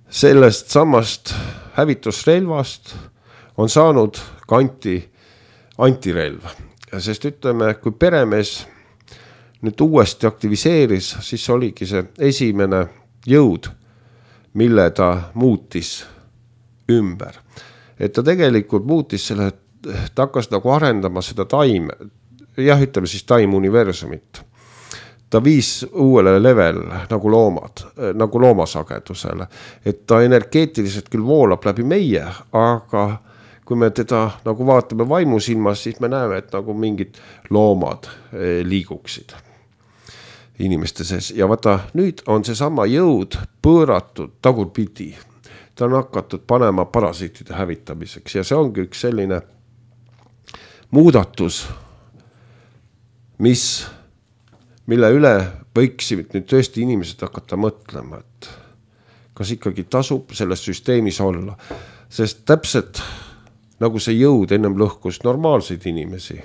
sellest samast hävitusrelvast on saanud ka antirelv. Sest ütleme, kui peremees nüüd uuesti aktiviseeris, siis oligi see esimene jõud, mille ta muutis ümber. Et ta tegelikult muutis selle, ta hakkas nagu arendama seda taime, ütleme siis taimuniversumit. Ta viis uuele level nagu loomad, nagu loomasagedusele. Et ta energeetiliselt küll voolab läbi meie, aga kui me teda nagu vaatame vaimusilmas, siis me näeme, et nagu mingid loomad liiguksid inimeste sees. Ja vaata, nüüd on see sama jõud pööratud tagurpidi. Ta on hakatud panema parasiitide hävitamiseks ja see ongi üks selline muudatus, mille üle võiksid nüüd tõesti inimesed hakata mõtlema, et kas ikkagi tasub selles süsteemis olla. Sest täpselt nagu see jõud ennem lõhkus normaalseid inimesi,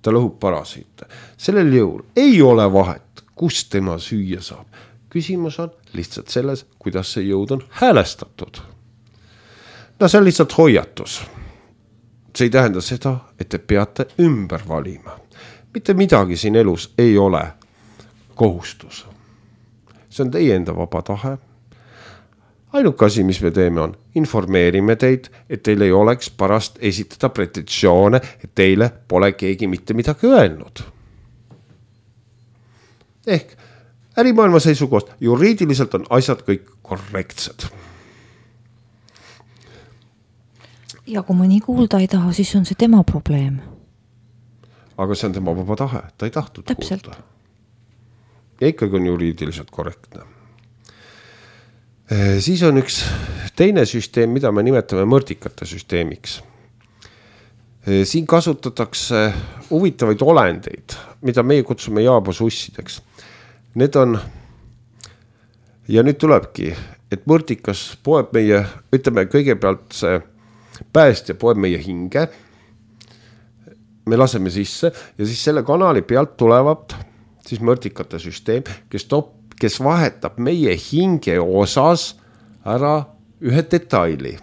ta lõhub parasiite. Sellel jõul ei ole vahet, kus tema süüa saab. Küsimus on lihtsalt selles, kuidas see jõud on häälestatud. See on lihtsalt hoiatus. See ei tähenda seda, et te peate ümber valima. Mitte midagi siin elus ei ole kohustus. See on teie enda vaba tahe. Ainuke asi, mis me teeme on, informeerime teid, et teil ei oleks pärast esitada pretensioone, et teile pole keegi mitte midagi öelnud. Ehk ärimaailma seisukohast juriidiliselt on asjad kõik korrektsed. Ja kui mõni kuulda ei taha, siis on see tema probleem. Aga see on tema vaba tahe, ta ei tahtnud Täpselt. kuulda. Ja ikkagi on juriidiliselt korrektne. Siis on üks teine süsteem, mida me nimetame mõrdikate süsteemiks. Siin kasutatakse huvitavaid olendeid, mida meie kutsume jaabosussideks. Need on, ja nüüd tulebki, et mõrdikas poeb meie, ütleme kõigepealt see päästja poeb meie hinge, me laseme sisse ja siis selle kanali pealt tulevad siis mõrdikate süsteem, kes vahetab meie hinge osas ära ühe detaili.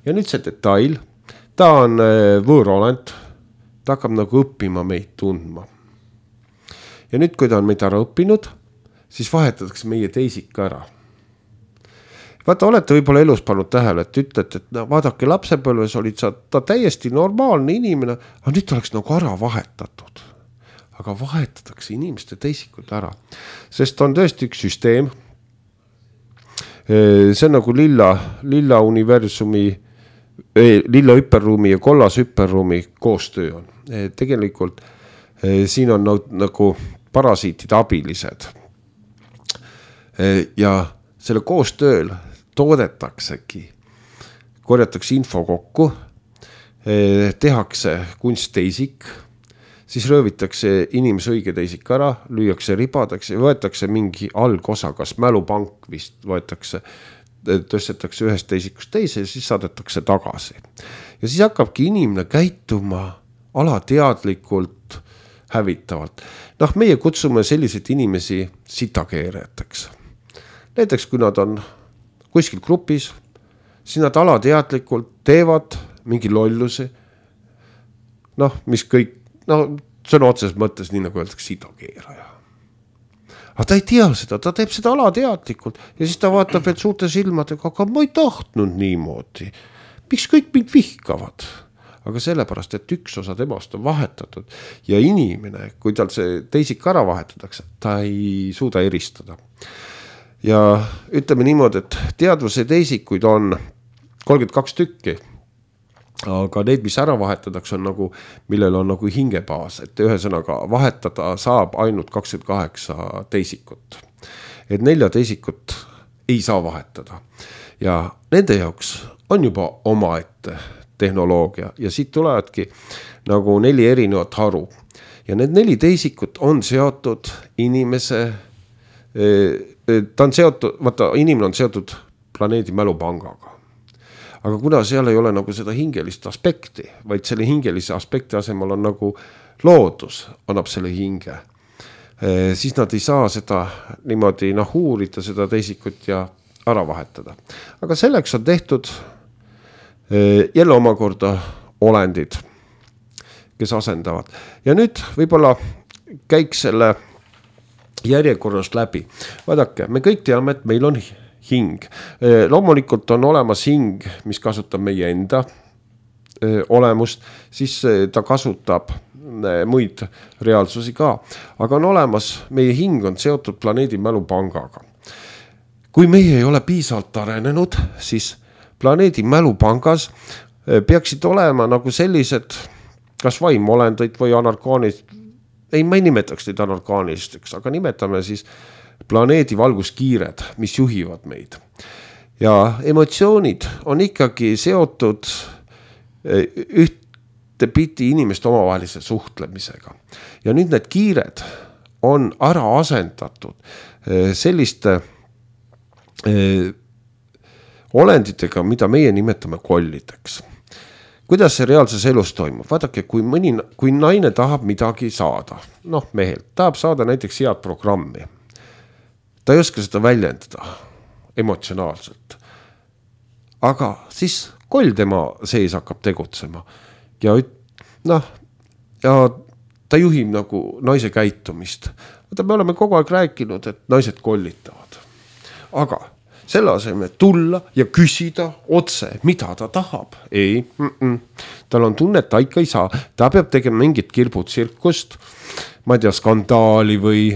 Ja nüüd see detail, ta on võõrolend, ta hakkab nagu õppima meid tundma. Ja nüüd, kui ta on meid ära õppinud, siis vahetatakse meie teisik ära. Vaata, olete võib-olla elus pannud tähele, et ütlete, et vaadake, lapsepõlves olid sa ta täiesti normaalne inimene, aga nüüd oleks nagu ära vahetatud. Aga vahetatakse inimeste teisikud ära, sest on tõesti üks süsteem. See on nagu lilla universumi, lilla hüperruumi ja kollas hüperruumi koostöö on. Tegelikult siin on nagu parasiitide abilised. Ja selle koostööl toodetaksegi, korjatakse info kokku, tehakse kunstteisik, siis röövitakse inimese õige teisik ära, lüüakse ribadaks ja võetakse mingi algosa, kas mälupank vist võetakse, tõstetakse ühest teisikust teise ja siis saadetakse tagasi. Ja siis hakkabki inimene käituma alateadlikult hävitavalt. Meie kutsume selliseid inimesi sitakeerajateks. Näiteks, kui nad on kuskil grupis, siis nad alateadlikult teevad mingi lollusi, mis kõik, see on otseses mõttes nii nagu öeldakse sitakeeraja. Aga ta ei tea seda, ta teeb seda alateadlikult ja siis ta vaatab veel suurte silmadega, aga ma ei tahtnud niimoodi. Miks kõik mind vihkavad? Aga sellepärast, et üks osa temast on vahetatud ja inimene, kui tal see teisik ära vahetatakse, ta ei suuda eristada. Ja ütleme niimoodi, et teadvuse teisikuid on 32 tükki, aga need, mis ära vahetatakse, on nagu, millel on nagu hingebaas, et ühesõnaga vahetada saab ainult 28 teisikut. Et 4 teisikut ei saa vahetada ja nende jaoks on juba omaette tehnoloogia ja siit tulevadki nagu 4 erinevat haru. Ja need 4 teisikut on seotud inimese, ta on seotud, vaata, inimene on seotud planeedi mälupangaga. Aga kuna seal ei ole nagu seda hingelist aspekti, vaid selle hingelise aspekti asemel on nagu loodus, annab selle hinge, siis nad ei saa seda niimoodi uurida seda teisikut ja ära vahetada. Aga selleks on tehtud jälle omakorda olendid, kes asendavad. Ja nüüd võib-olla käiks selle järjekorrast läbi. Vaadake, me kõik teame, et meil on hing. Loomulikult on olemas hing, mis kasutab meie enda olemust, siis ta kasutab muid reaalsusi ka. Aga on olemas, meie hing on seotud planeedi mälupangaga. Kui meie ei ole piisavalt arenenud, siis planeedi mälupangas peaksid olema nagu sellised, kas vaimolendid või anarkaanid, ma ei nimetaks neid anarkaanisteks, aga nimetame siis planeedi valguskiired, mis juhivad meid. Ja emotsioonid on ikkagi seotud ühtepidi inimeste omavahelise suhtlemisega. Ja nüüd need kiired on ära asendatud selliste olenditega, mida meie nimetame kollideks. Kuidas see reaalses elus toimub? Vaadake, kui naine tahab midagi saada, mehelt, tahab saada näiteks head programmi. Ta ei oska seda väljendada emotsionaalselt. Aga siis koll tema sees hakkab tegutsema. Ja ta juhib nagu naise käitumist. Me oleme kogu aeg rääkinud, et naised kollitavad. Aga selle asemel tulla ja küsida otse, mida ta tahab. Ei, tal on tunne, et ta ikka ei saa. Ta peab tegema mingit kirbutsirkust, ma ei tea, skandaali või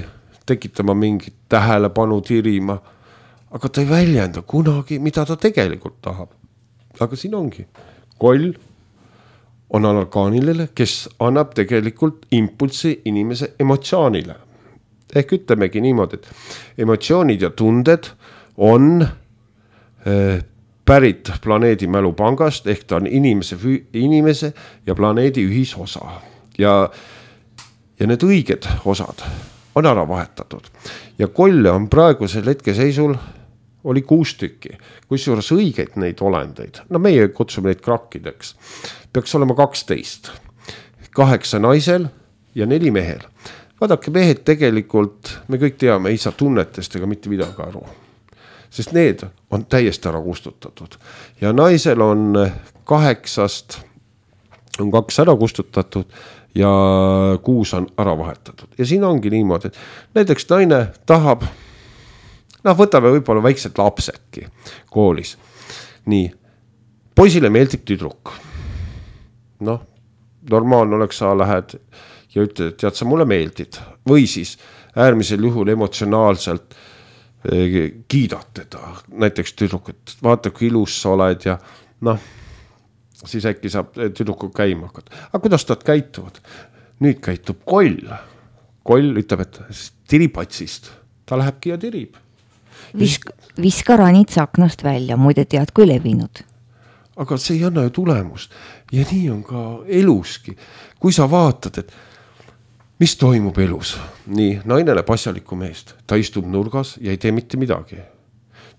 tekitama mingit tähelepanu tirima. Aga ta ei väljenda kunagi, mida ta tegelikult tahab. Aga siin ongi. Koll on anarkaanilele, kes annab tegelikult impulsi inimese emotsioonile. Ehk ütlemegi niimoodi, et emotsioonid ja tunded on pärit planeedi mälupangast, ehk ta on inimese ja planeedi ühisosa. Ja need õiged osad on ära vahetatud. Ja kolle on praegusel hetkeseisul oli 6 tükki, kusjuures õigeid neid olendeid, meie kutsume neid krakkideks, peaks olema 12, 8 naisel ja 4 mehel. Vaadake, mehed tegelikult, me kõik teame, ei saa tunnetest ega mitte midagi aru. Sest need on täiesti ära kustutatud. Ja naisel on 8 on 2 ära kustutatud ja kuus on ära vahetatud. Ja siin ongi niimoodi, et näiteks naine tahab, võtame võib-olla väiksed lapsedki koolis. Nii, poisile meeldib tüdruk. Normaalne oleks, sa lähed ja ütled, et tead, sa mulle meeldid. Või siis äärmisel juhul emotsionaalselt kiidad teda. Näiteks tüdruk, et vaata, kui ilus sa oled ja siis äkki saab tüdruku käima hakata. Aga kuidas nad käituvad? Nüüd käitub Koll. Koll ütleb, et tiripatsist. Ta lähebki ja tirib. Viska ranitsa aknast välja, muide tead, kui levinud. Aga see ei anna ju tulemust. Ja nii on ka eluski. Kui sa vaatad, et mis toimub elus? Nii, naine näeb asjalikku meest. Ta istub nurgas ja ei tee mitte midagi.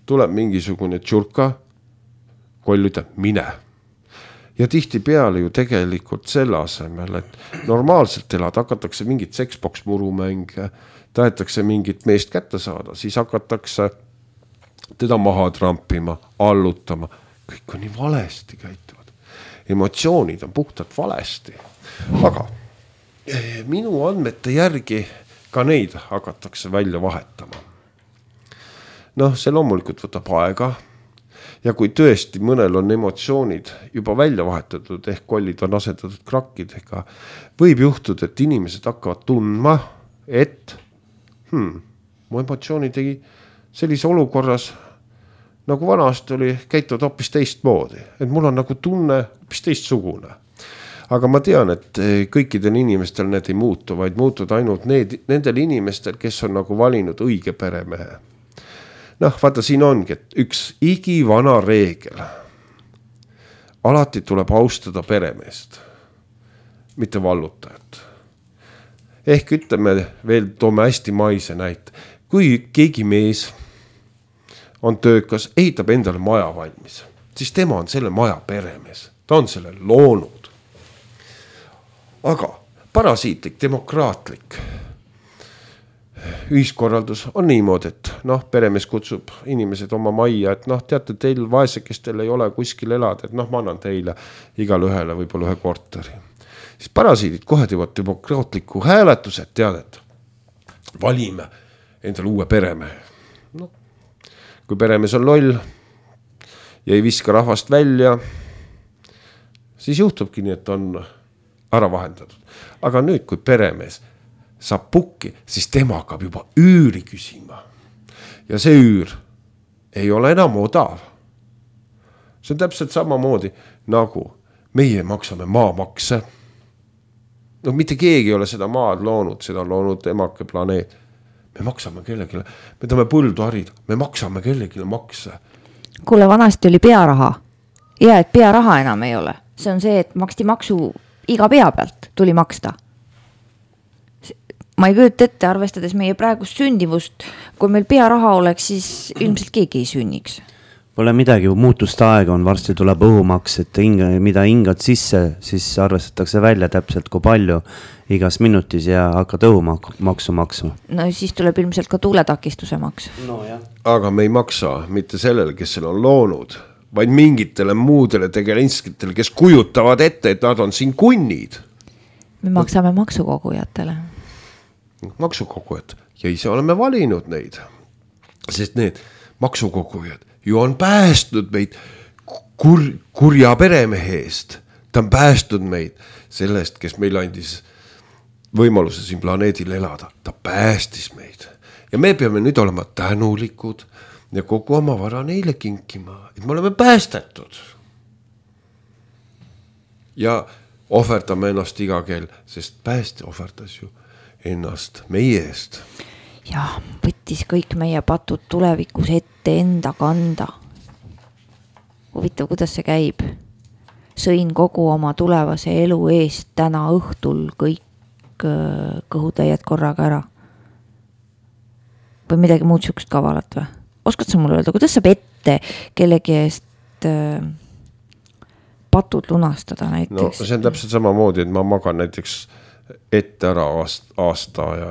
Tuleb mingisugune tšurka. Koll ütleb, mine. Ja tihti peale ju tegelikult selle asemel, et normaalselt elad, hakatakse mingit seksboks murumänge, tahetakse mingit meest kätte saada, siis hakatakse teda maha trampima, allutama. Kõik on nii valesti käituvad. Emotsioonid on puhtalt valesti. Aga minu andmete järgi ka neid hakatakse välja vahetama. See loomulikult võtab aega. Ja kui tõesti mõnel on emotsioonid juba välja vahetatud, ehk kollid on asetatud krakkidega, võib juhtuda, et inimesed hakkavad tundma, et mu emotsioonid tegi sellise olukorras, nagu vanasti oli, käituvad hoopis teistmoodi. Et mul on nagu tunne hoopis teistsugune. Aga ma tean, et kõikidel inimestel need ei muutu, vaid muutud ainult nendel inimestel, kes on nagu valinud õige peremehe. Vaata, siin ongi, et üks igivana reegel. Alati tuleb austada peremeest, mitte vallutajat. Ehk ütleme veel, toome hästi maise näite. Kui keegi mees on töökas, ehitab endale maja valmis, siis tema on selle maja peremees. Ta on selle loonud. Aga parasiitlik, demokraatlik ühiskorraldus on niimoodi, et peremees kutsub inimesed oma majja, et teate, teil vaesekestel ei ole kuskil elada, et ma annan teile igale ühele võib-olla ühe korteri. Siis parasiidid kohe teevad demokraatliku hääletused, teadet. Valime endale uue peremehe. Kui peremees on loll ja ei viska rahvast välja, siis juhtubki nii, et on ära vahendatud. Aga nüüd, kui peremees saab pukki, siis tema hakkab juba üüri küsima. Ja see üür ei ole enam odav. See on täpselt samamoodi, nagu meie maksame maamakse. Mitte keegi ei ole seda maad loonud, seda on loonud emake planeet. Me maksame kellegile, me tahame põldu harida, me maksame kellegile makse. Kuule, vanasti oli pearaha. Ja, et pearaha enam ei ole. See on see, et maksti maksu iga pea pealt tuli maksta. Ma ei kujuta ette, arvestades meie praegust sündivust, kui meil pearaha oleks, siis ilmselt keegi ei sünniks. Pole midagi, muutuste aega on, varsti tuleb õhumaks, et mida hingad sisse, siis arvestatakse välja täpselt kui palju igas minutis ja hakkad õhumaksu maksma. No siis tuleb ilmselt ka tuuletakistuse maks. Aga me ei maksa mitte sellele, kes selle on loonud, vaid mingitele muudele tegelinskitele, kes kujutavad ette, et nad on siin kunnid. Me maksame maksukogujatele. Maksukogujad ja ise oleme valinud neid, sest need maksukogujad ju on päästnud meid kurja peremehe eest. Ta on päästnud meid sellest, kes meil andis võimaluse siin planeedil elada. Ta päästis meid ja me peame nüüd olema tänulikud ja kogu oma vara neile kinkima, et me oleme päästetud. Ja ohverdame ennast iga kell, sest pääste ohverdas ju ennast meie eest. Ja võttis kõik meie patud tulevikus ette enda kanda. Huvitav, kuidas see käib? Sõin kogu oma tulevase elu eest täna õhtul kõik kõhutäied korraga ära. Või midagi muud sükst kavalat või? Oskad sa mulle öelda, kuidas saab ette kellegi eest patud lunastada näiteks? See on täpselt sama moodi, et ma magan näiteks ette ära aasta ja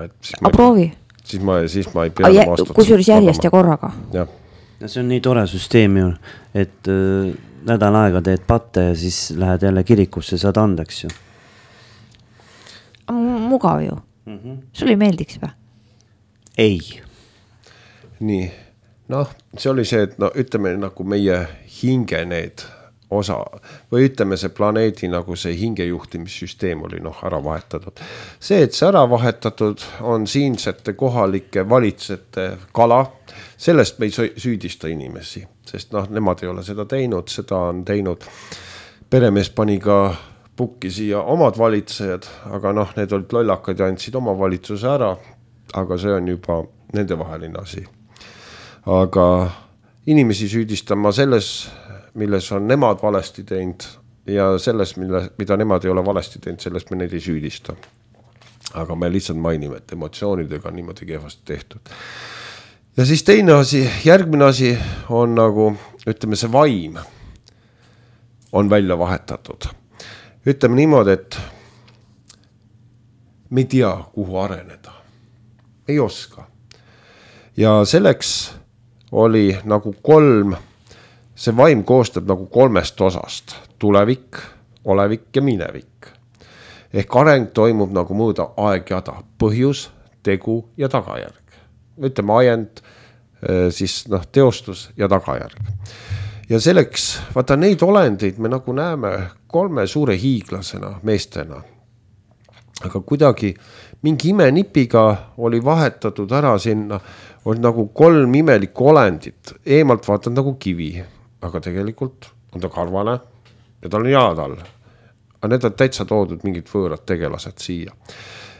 proovi. Siis ma ei pea aastat. Kusjuures järjest ja korraga. Ja see on nii tore süsteem ju, et nädal aega teed patte ja siis lähed jälle kirikusse, saad andeks ju. Mugav ju. Sulle ei meeldiks või? Ei. Nii, noh, see oli see, et no ütleme nagu meie hinge need osa või ütleme see planeedi nagu see hingejuhtimissüsteem oli ära vahetatud. See, et see ära vahetatud on siinsete kohalike valitsejate kala, sellest me ei süüdista inimesi, sest nemad ei ole seda teinud, seda on teinud. Peremees pani ka pukki siia omad valitsejad, aga need olid lollakad ja andsid oma valitsuse ära, aga see on juba nende vaheline asi. Aga inimesi süüdistan ma selles, milles on nemad valesti teinud ja selles, mida nemad ei ole valesti teinud, sellest me neid ei süüdista. Aga me lihtsalt mainime, et emotsioonidega on niimoodi kehvasti tehtud. Ja siis teine asi, järgmine asi on nagu, ütleme see vaim on välja vahetatud. Ütleme niimoodi, et me ei tea, kuhu areneda. Ei oska. Ja selleks oli nagu see vaim koostab nagu 3 osast, tulevik, olevik ja minevik. Ehk areng toimub nagu mõõda aegjada, põhjus, tegu ja tagajärg. Ütleme ajend, siis teostus ja tagajärg. Ja selleks, vaata neid olendeid me nagu näeme 3 suure hiiglasena, meestena. Aga kuidagi mingi imenipiga oli vahetatud ära sinna, oli nagu 3 imelikku olendit, eemalt vaatad nagu kivi. Aga tegelikult on ta karvane ja tal on jalad all. Aga need on täitsa toodud mingid võõrad tegelased siia.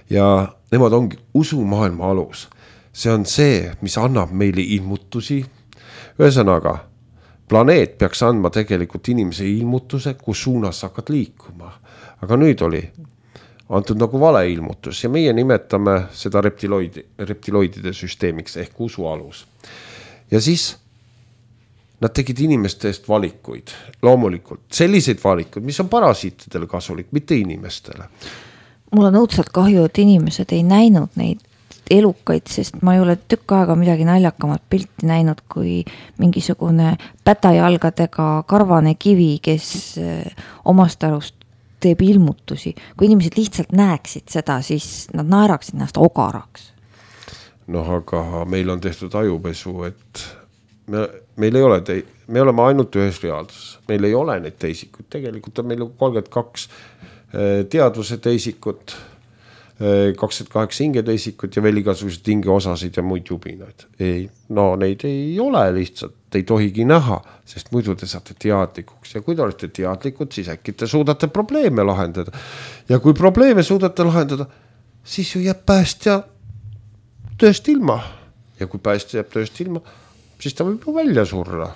Ja nemad ongi usumaailma alus. See on see, mis annab meile ilmutusi. Ühesõnaga, planeet peaks andma tegelikult inimese ilmutuse, kus suunas hakkad liikuma. Aga nüüd oli antud nagu vale ilmutus ja meie nimetame seda reptiloidide süsteemiks ehk usu alus. Ja siis nad tegid inimeste eest valikuid, loomulikult. Selliseid valikuid, mis on parasiitidele kasulik, mitte inimestele. Mul on õudselt kahju, et inimesed ei näinud neid elukaid, sest ma ei ole tükk aega midagi naljakamat pilti näinud, kui mingisugune pätajalgadega karvane kivi, kes omast arust teeb ilmutusi. Kui inimesed lihtsalt näeksid seda, siis nad naeraksid ennast ogaraks. Aga meil on tehtud ajupesu, et meil ei ole me oleme ainult ühes reaalsuses. Meil ei ole neid teisikuid. Tegelikult on meil 32 teadvuse teisikut, 28 hinge teisikut ja veel igasugused hingeosasid ja muid jubinaid. Neid ei ole lihtsalt, ei tohigi näha, sest muidu te saate teadlikuks. Ja kui te olete teadlikud, siis äkki te suudate probleeme lahendada. Ja kui probleeme suudate lahendada, siis ju jääb päästja tööst ilma. Ja kui päästja jääb tööst ilma, siis ta võib ju välja surra.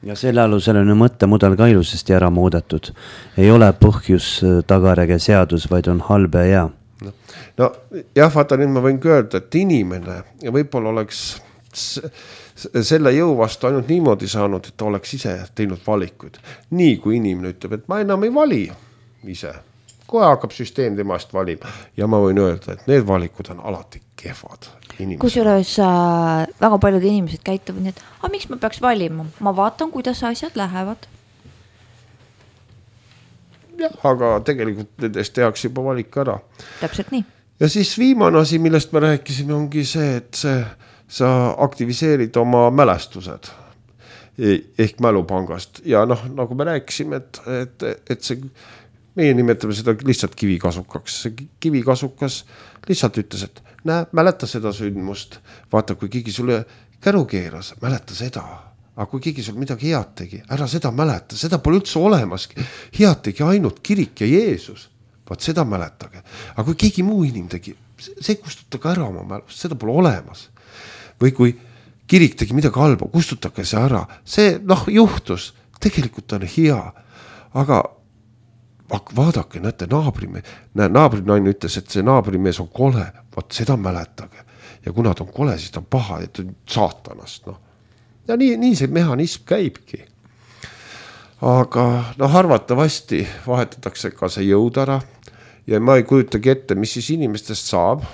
Ja selle alusel on mõttemudel ka ilusasti ära muudetud. Ei ole põhjus, tagarege seadus, vaid on halb ja hea. No jah, vaata nüüd ma võin öelda, et inimene ja võib-olla oleks selle jõu vastu ainult niimoodi saanud, et ta oleks ise teinud valikuid. Nii kui inimene ütleb, et ma enam ei vali ise. Kohe hakkab süsteem temast valima ja ma võin öelda, et need valikud on alati kehvad. Kusjuures väga paljud inimesed käituvad nii, et miks ma peaks valima? Ma vaatan, kuidas asjad lähevad. Jah, aga tegelikult nendest tehakse juba valik ära. Täpselt nii. Ja siis viimane asi, millest me rääkisime, ongi see, et sa aktiviseerid oma mälestused ehk mälupangast. Ja nagu me rääkisime, et see meie nimetame seda lihtsalt kivikasukaks. See kivikasukas lihtsalt ütles, et mäleta seda sündmust. Vaata, kui keegi sulle käru keeras, mäleta seda. Aga kui keegi sul midagi head tegi, ära seda mäleta. Seda pole üldse olemaski. Head tegi ainult kirik ja Jeesus. Vaat seda mäletage. Aga kui keegi muu inim tegi, see kustutage ära oma mälust. Seda pole olemas. Või kui kirik tegi midagi halba, kustutage see ära. See juhtus. Tegelikult on hea. Aga vaadake, näete, naabrinaine ütles, et see naabrimees on kole, vaat seda mäletage. Ja kuna ta on kole, siis ta on paha, et ta on saatanast. Ja nii see mehhanism käibki. Aga arvatavasti vahetatakse ka see jõud ära ja ma ei kujutagi ette, mis siis inimestest saab.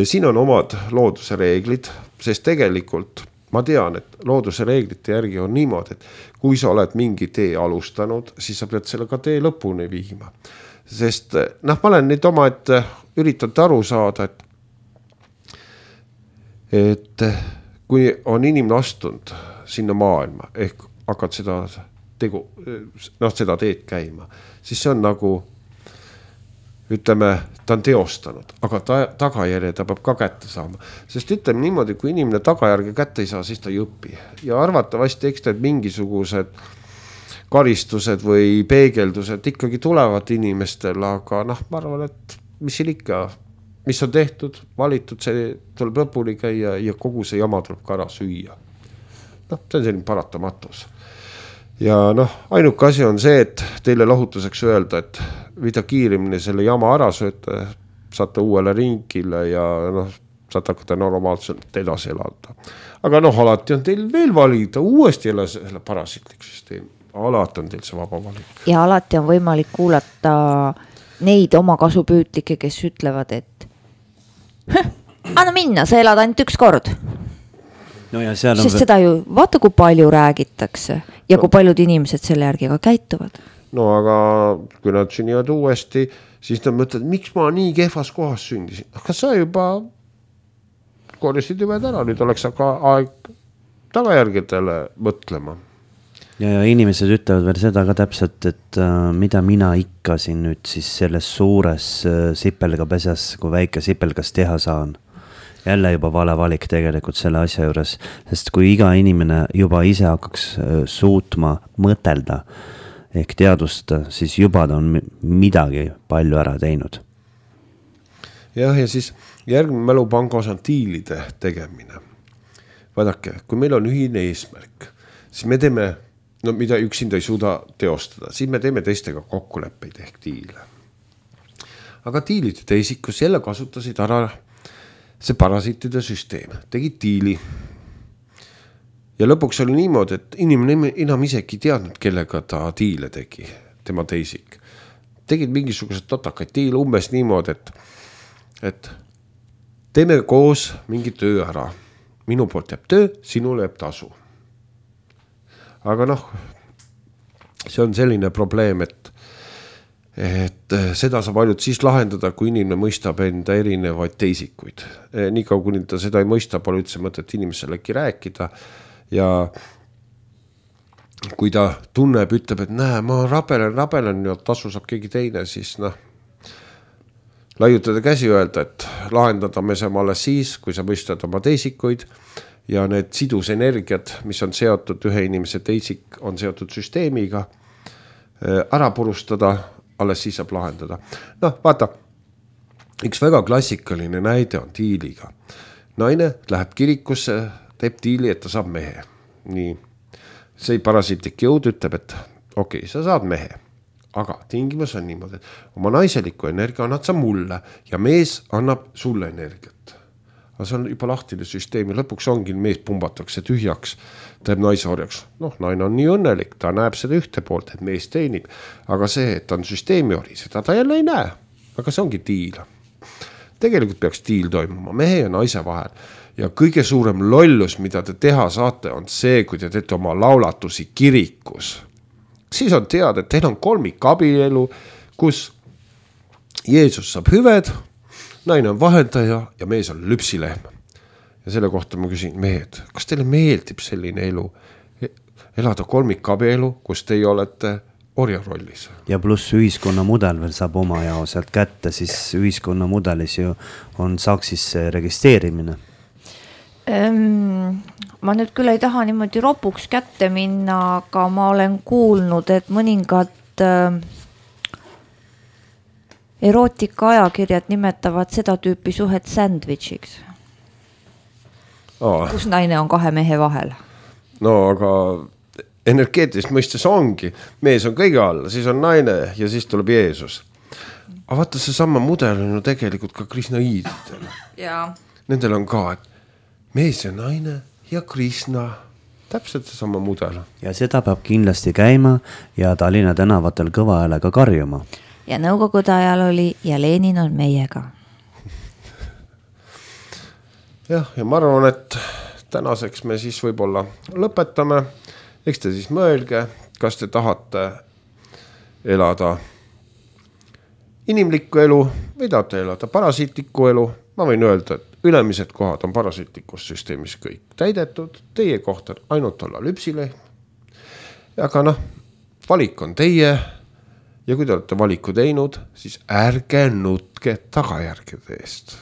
Siin on omad looduse reeglid, sest tegelikult ma tean, et looduse reeglite järgi on niimoodi, et kui sa oled mingi tee alustanud, siis sa pead selle ka tee lõpuni viima. sest ma olen nüüd oma, et üritanud aru saada, et kui on inimene astunud sinna maailma, ehk hakkad seda seda teed käima, siis see on nagu, ütleme, ta on teostanud, aga tagajärje ta peab ka kätte saama. Sest ütleme niimoodi, kui inimene tagajärge kätte ei saa, siis ta ei õpi. Ja arvatavasti eks need mingisugused karistused või peegeldused ikkagi tulevad inimestel, aga ma arvan, et mis siin ikka, mis on tehtud, valitud, see tuleb lõpuni käia ja kogu see jama tuleb ka ära süüa. See on selline paratamatus. Ja ainuke asi on see, et teile lahutuseks öelda, et mida kiirimini selle jama ära sööte, saate uuele ringile ja saate hakata normaalselt edasi elada. Aga alati on teil veel valida, uuesti jälle selle parasitlik süsteem. Alati on teil see vaba valik. Ja alati on võimalik kuulata neid oma kasupüütlikke, kes ütlevad, et anna minna, sa elad ainult üks kord. No ja seal sest seda ju, vaata kui palju räägitakse ja kui paljud inimesed selle järgi ka käituvad. No aga kui nad sünnivad uuesti, siis nad mõtlevad, miks ma nii kehvas kohas sündisin. Aga sa juba korjasid ümed ära, nüüd oleks aga aeg tagajärgedele mõtlema. Ja inimesed ütlevad veel seda ka täpselt, et mida mina ikka siin nüüd siis selles suures sipelgapesas, kui väike sipelgas teha saan. Jälle juba vale valik tegelikult selle asja juures, sest kui iga inimene juba ise hakkaks suutma mõtelda ehk teadustada, siis juba ta on midagi palju ära teinud. Ja siis järgmine mälupangos on diilide tegemine. Vaadake, kui meil on ühine eesmärk, siis me teeme, mida üksinda ei suuda teostada, siis me teeme teistega kokkuleppeid ehk diile. Aga diilide teisikus jälle kasutasid ära see parasiitide süsteem, tegid diili. Ja lõpuks oli niimoodi, et inimene enam isegi teadnud, kellega ta diile tegi, tema teisik. Tegid mingisugused totakaid diile umbes niimoodi, et teeme koos mingi töö ära. Minu poolt jääb töö, sinule jääb tasu. Aga see on selline probleem, et seda saab ainult siis lahendada, kui inimene mõistab enda erinevaid teisikuid. Nii kaua, kui ta seda ei mõista, pole üldse mõtet inimeselegi rääkida. Ja kui ta tunneb, ütleb, et näe, ma rabelen ja tasu saab keegi teine, siis laiutada käsi öelda, et lahendada me saame alles siis, kui sa mõistad oma teisikuid ja need sidusenergiad, mis on seotud ühe inimese teisik, on seotud süsteemiga, ära purustada, alles siis saab lahendada. Vaata, üks väga klassikaline näide on diiliga. Naine läheb kirikusse, teeb diili, et ta saab mehe. Nii, see parasiitlik jõud ütleb, et okei, sa saad mehe. Aga tingimus on niimoodi, et oma naiseliku energia annad sa mulle ja mees annab sulle energiat. Aga see on juba lahtine süsteem ja lõpuks ongi mees pumbatakse tühjaks, teeb naisorjaks. Naine on nii õnnelik, ta näeb seda ühte poolt, et mees teenib. Aga see, et on süsteemi ori, seda ta jälle ei näe. Aga see ongi diil. Tegelikult peaks diil toimuma mehe ja naise vahel. Ja kõige suurem lollus, mida te teha saate, on see, kui te teete oma laulatusi kirikus. Siis on teada, et teil on kolmikabielu, kus Jeesus saab hüved, naine on vahendaja ja mees on lüpsilehm. Ja selle kohta ma küsin, mehed, kas teile meeldib selline elu? Elada kolmikabielu, kus teie olete orja rollis. Ja pluss ühiskonna mudel veel saab oma jao sealt kätte, siis ühiskonna mudelis ju on saksis registreerimine. Ma nüüd küll ei taha niimoodi ropuks kätte minna, aga ma olen kuulnud, et mõningad erootika ajakirjad nimetavad seda tüüpi suhet sandwichiks. Kus naine on kahe mehe vahel. Aga energeetilist mõistes ongi. Mees on kõige all, siis on naine ja siis tuleb Jeesus. Aga vaata, see sama mudel on ju tegelikult ka Krishnaididel. Nendel on ka, et mees ja naine ja Krishna, täpselt see sama mudel. Ja seda peab kindlasti käima ja Tallinna tänavatel kõva häälega karjuma. Ja nõukogude ajal oli ja Lenin on meiega. Ja ma arvan, et tänaseks me siis võib-olla lõpetame. Eks te siis mõelge, kas te tahate elada inimlikku elu või tahate elada parasiitlikku elu, ma võin öelda, et ülemised kohad on parasiitlikus süsteemis kõik täidetud, teie koht on ainult olla lüpsileht. Aga valik on teie ja kui te olete valiku teinud, siis ärge nutke tagajärgede eest.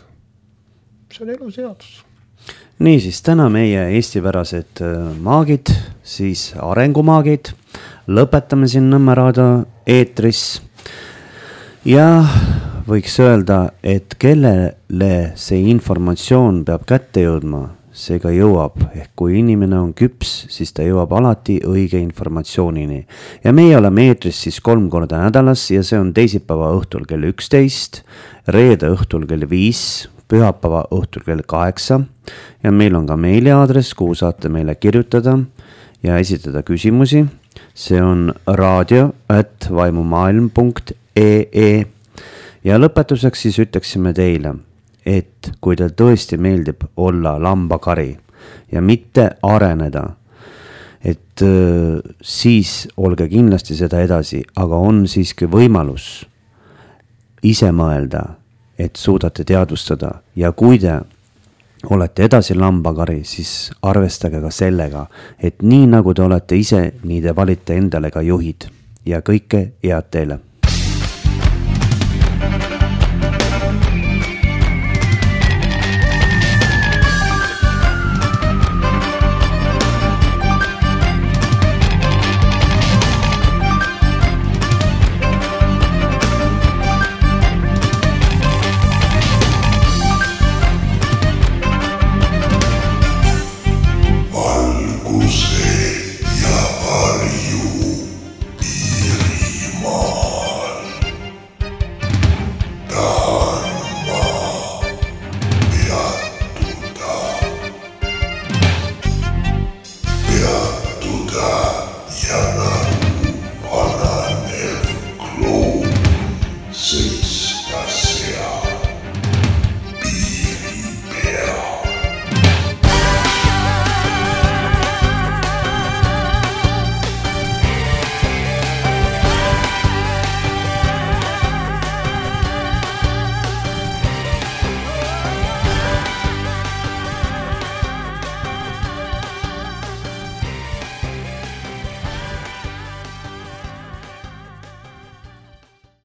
See on elu seadus. Niisiis, täna meie eestipärased maagid, siis arengumaagid, lõpetame siin Nõmme raadio eetris ja võiks öelda, et kellele see informatsioon peab kätte jõudma, see ka jõuab. Ehk kui inimene on küps, siis ta jõuab alati õige informatsioonini. Ja meie oleme eetris siis 3 korda nädalas ja see on teisipäeva õhtul kell 11, reede õhtul kell 5, pühapäeva õhtul kell 8 ja meil on ka meiliaadress, kuhu saate meile kirjutada ja esitada küsimusi. See on radio@vaimumaailm.ee ja lõpetuseks siis ütleksime teile, et kui teil tõesti meeldib olla lambakari ja mitte areneda, et siis olge kindlasti seda edasi, aga on siiski võimalus ise mõelda, et suudate teadvustada ja kui te olete edasi lambakari, siis arvestage ka sellega, et nii nagu te olete ise, nii te valite endale ka juhid ja kõike head teile.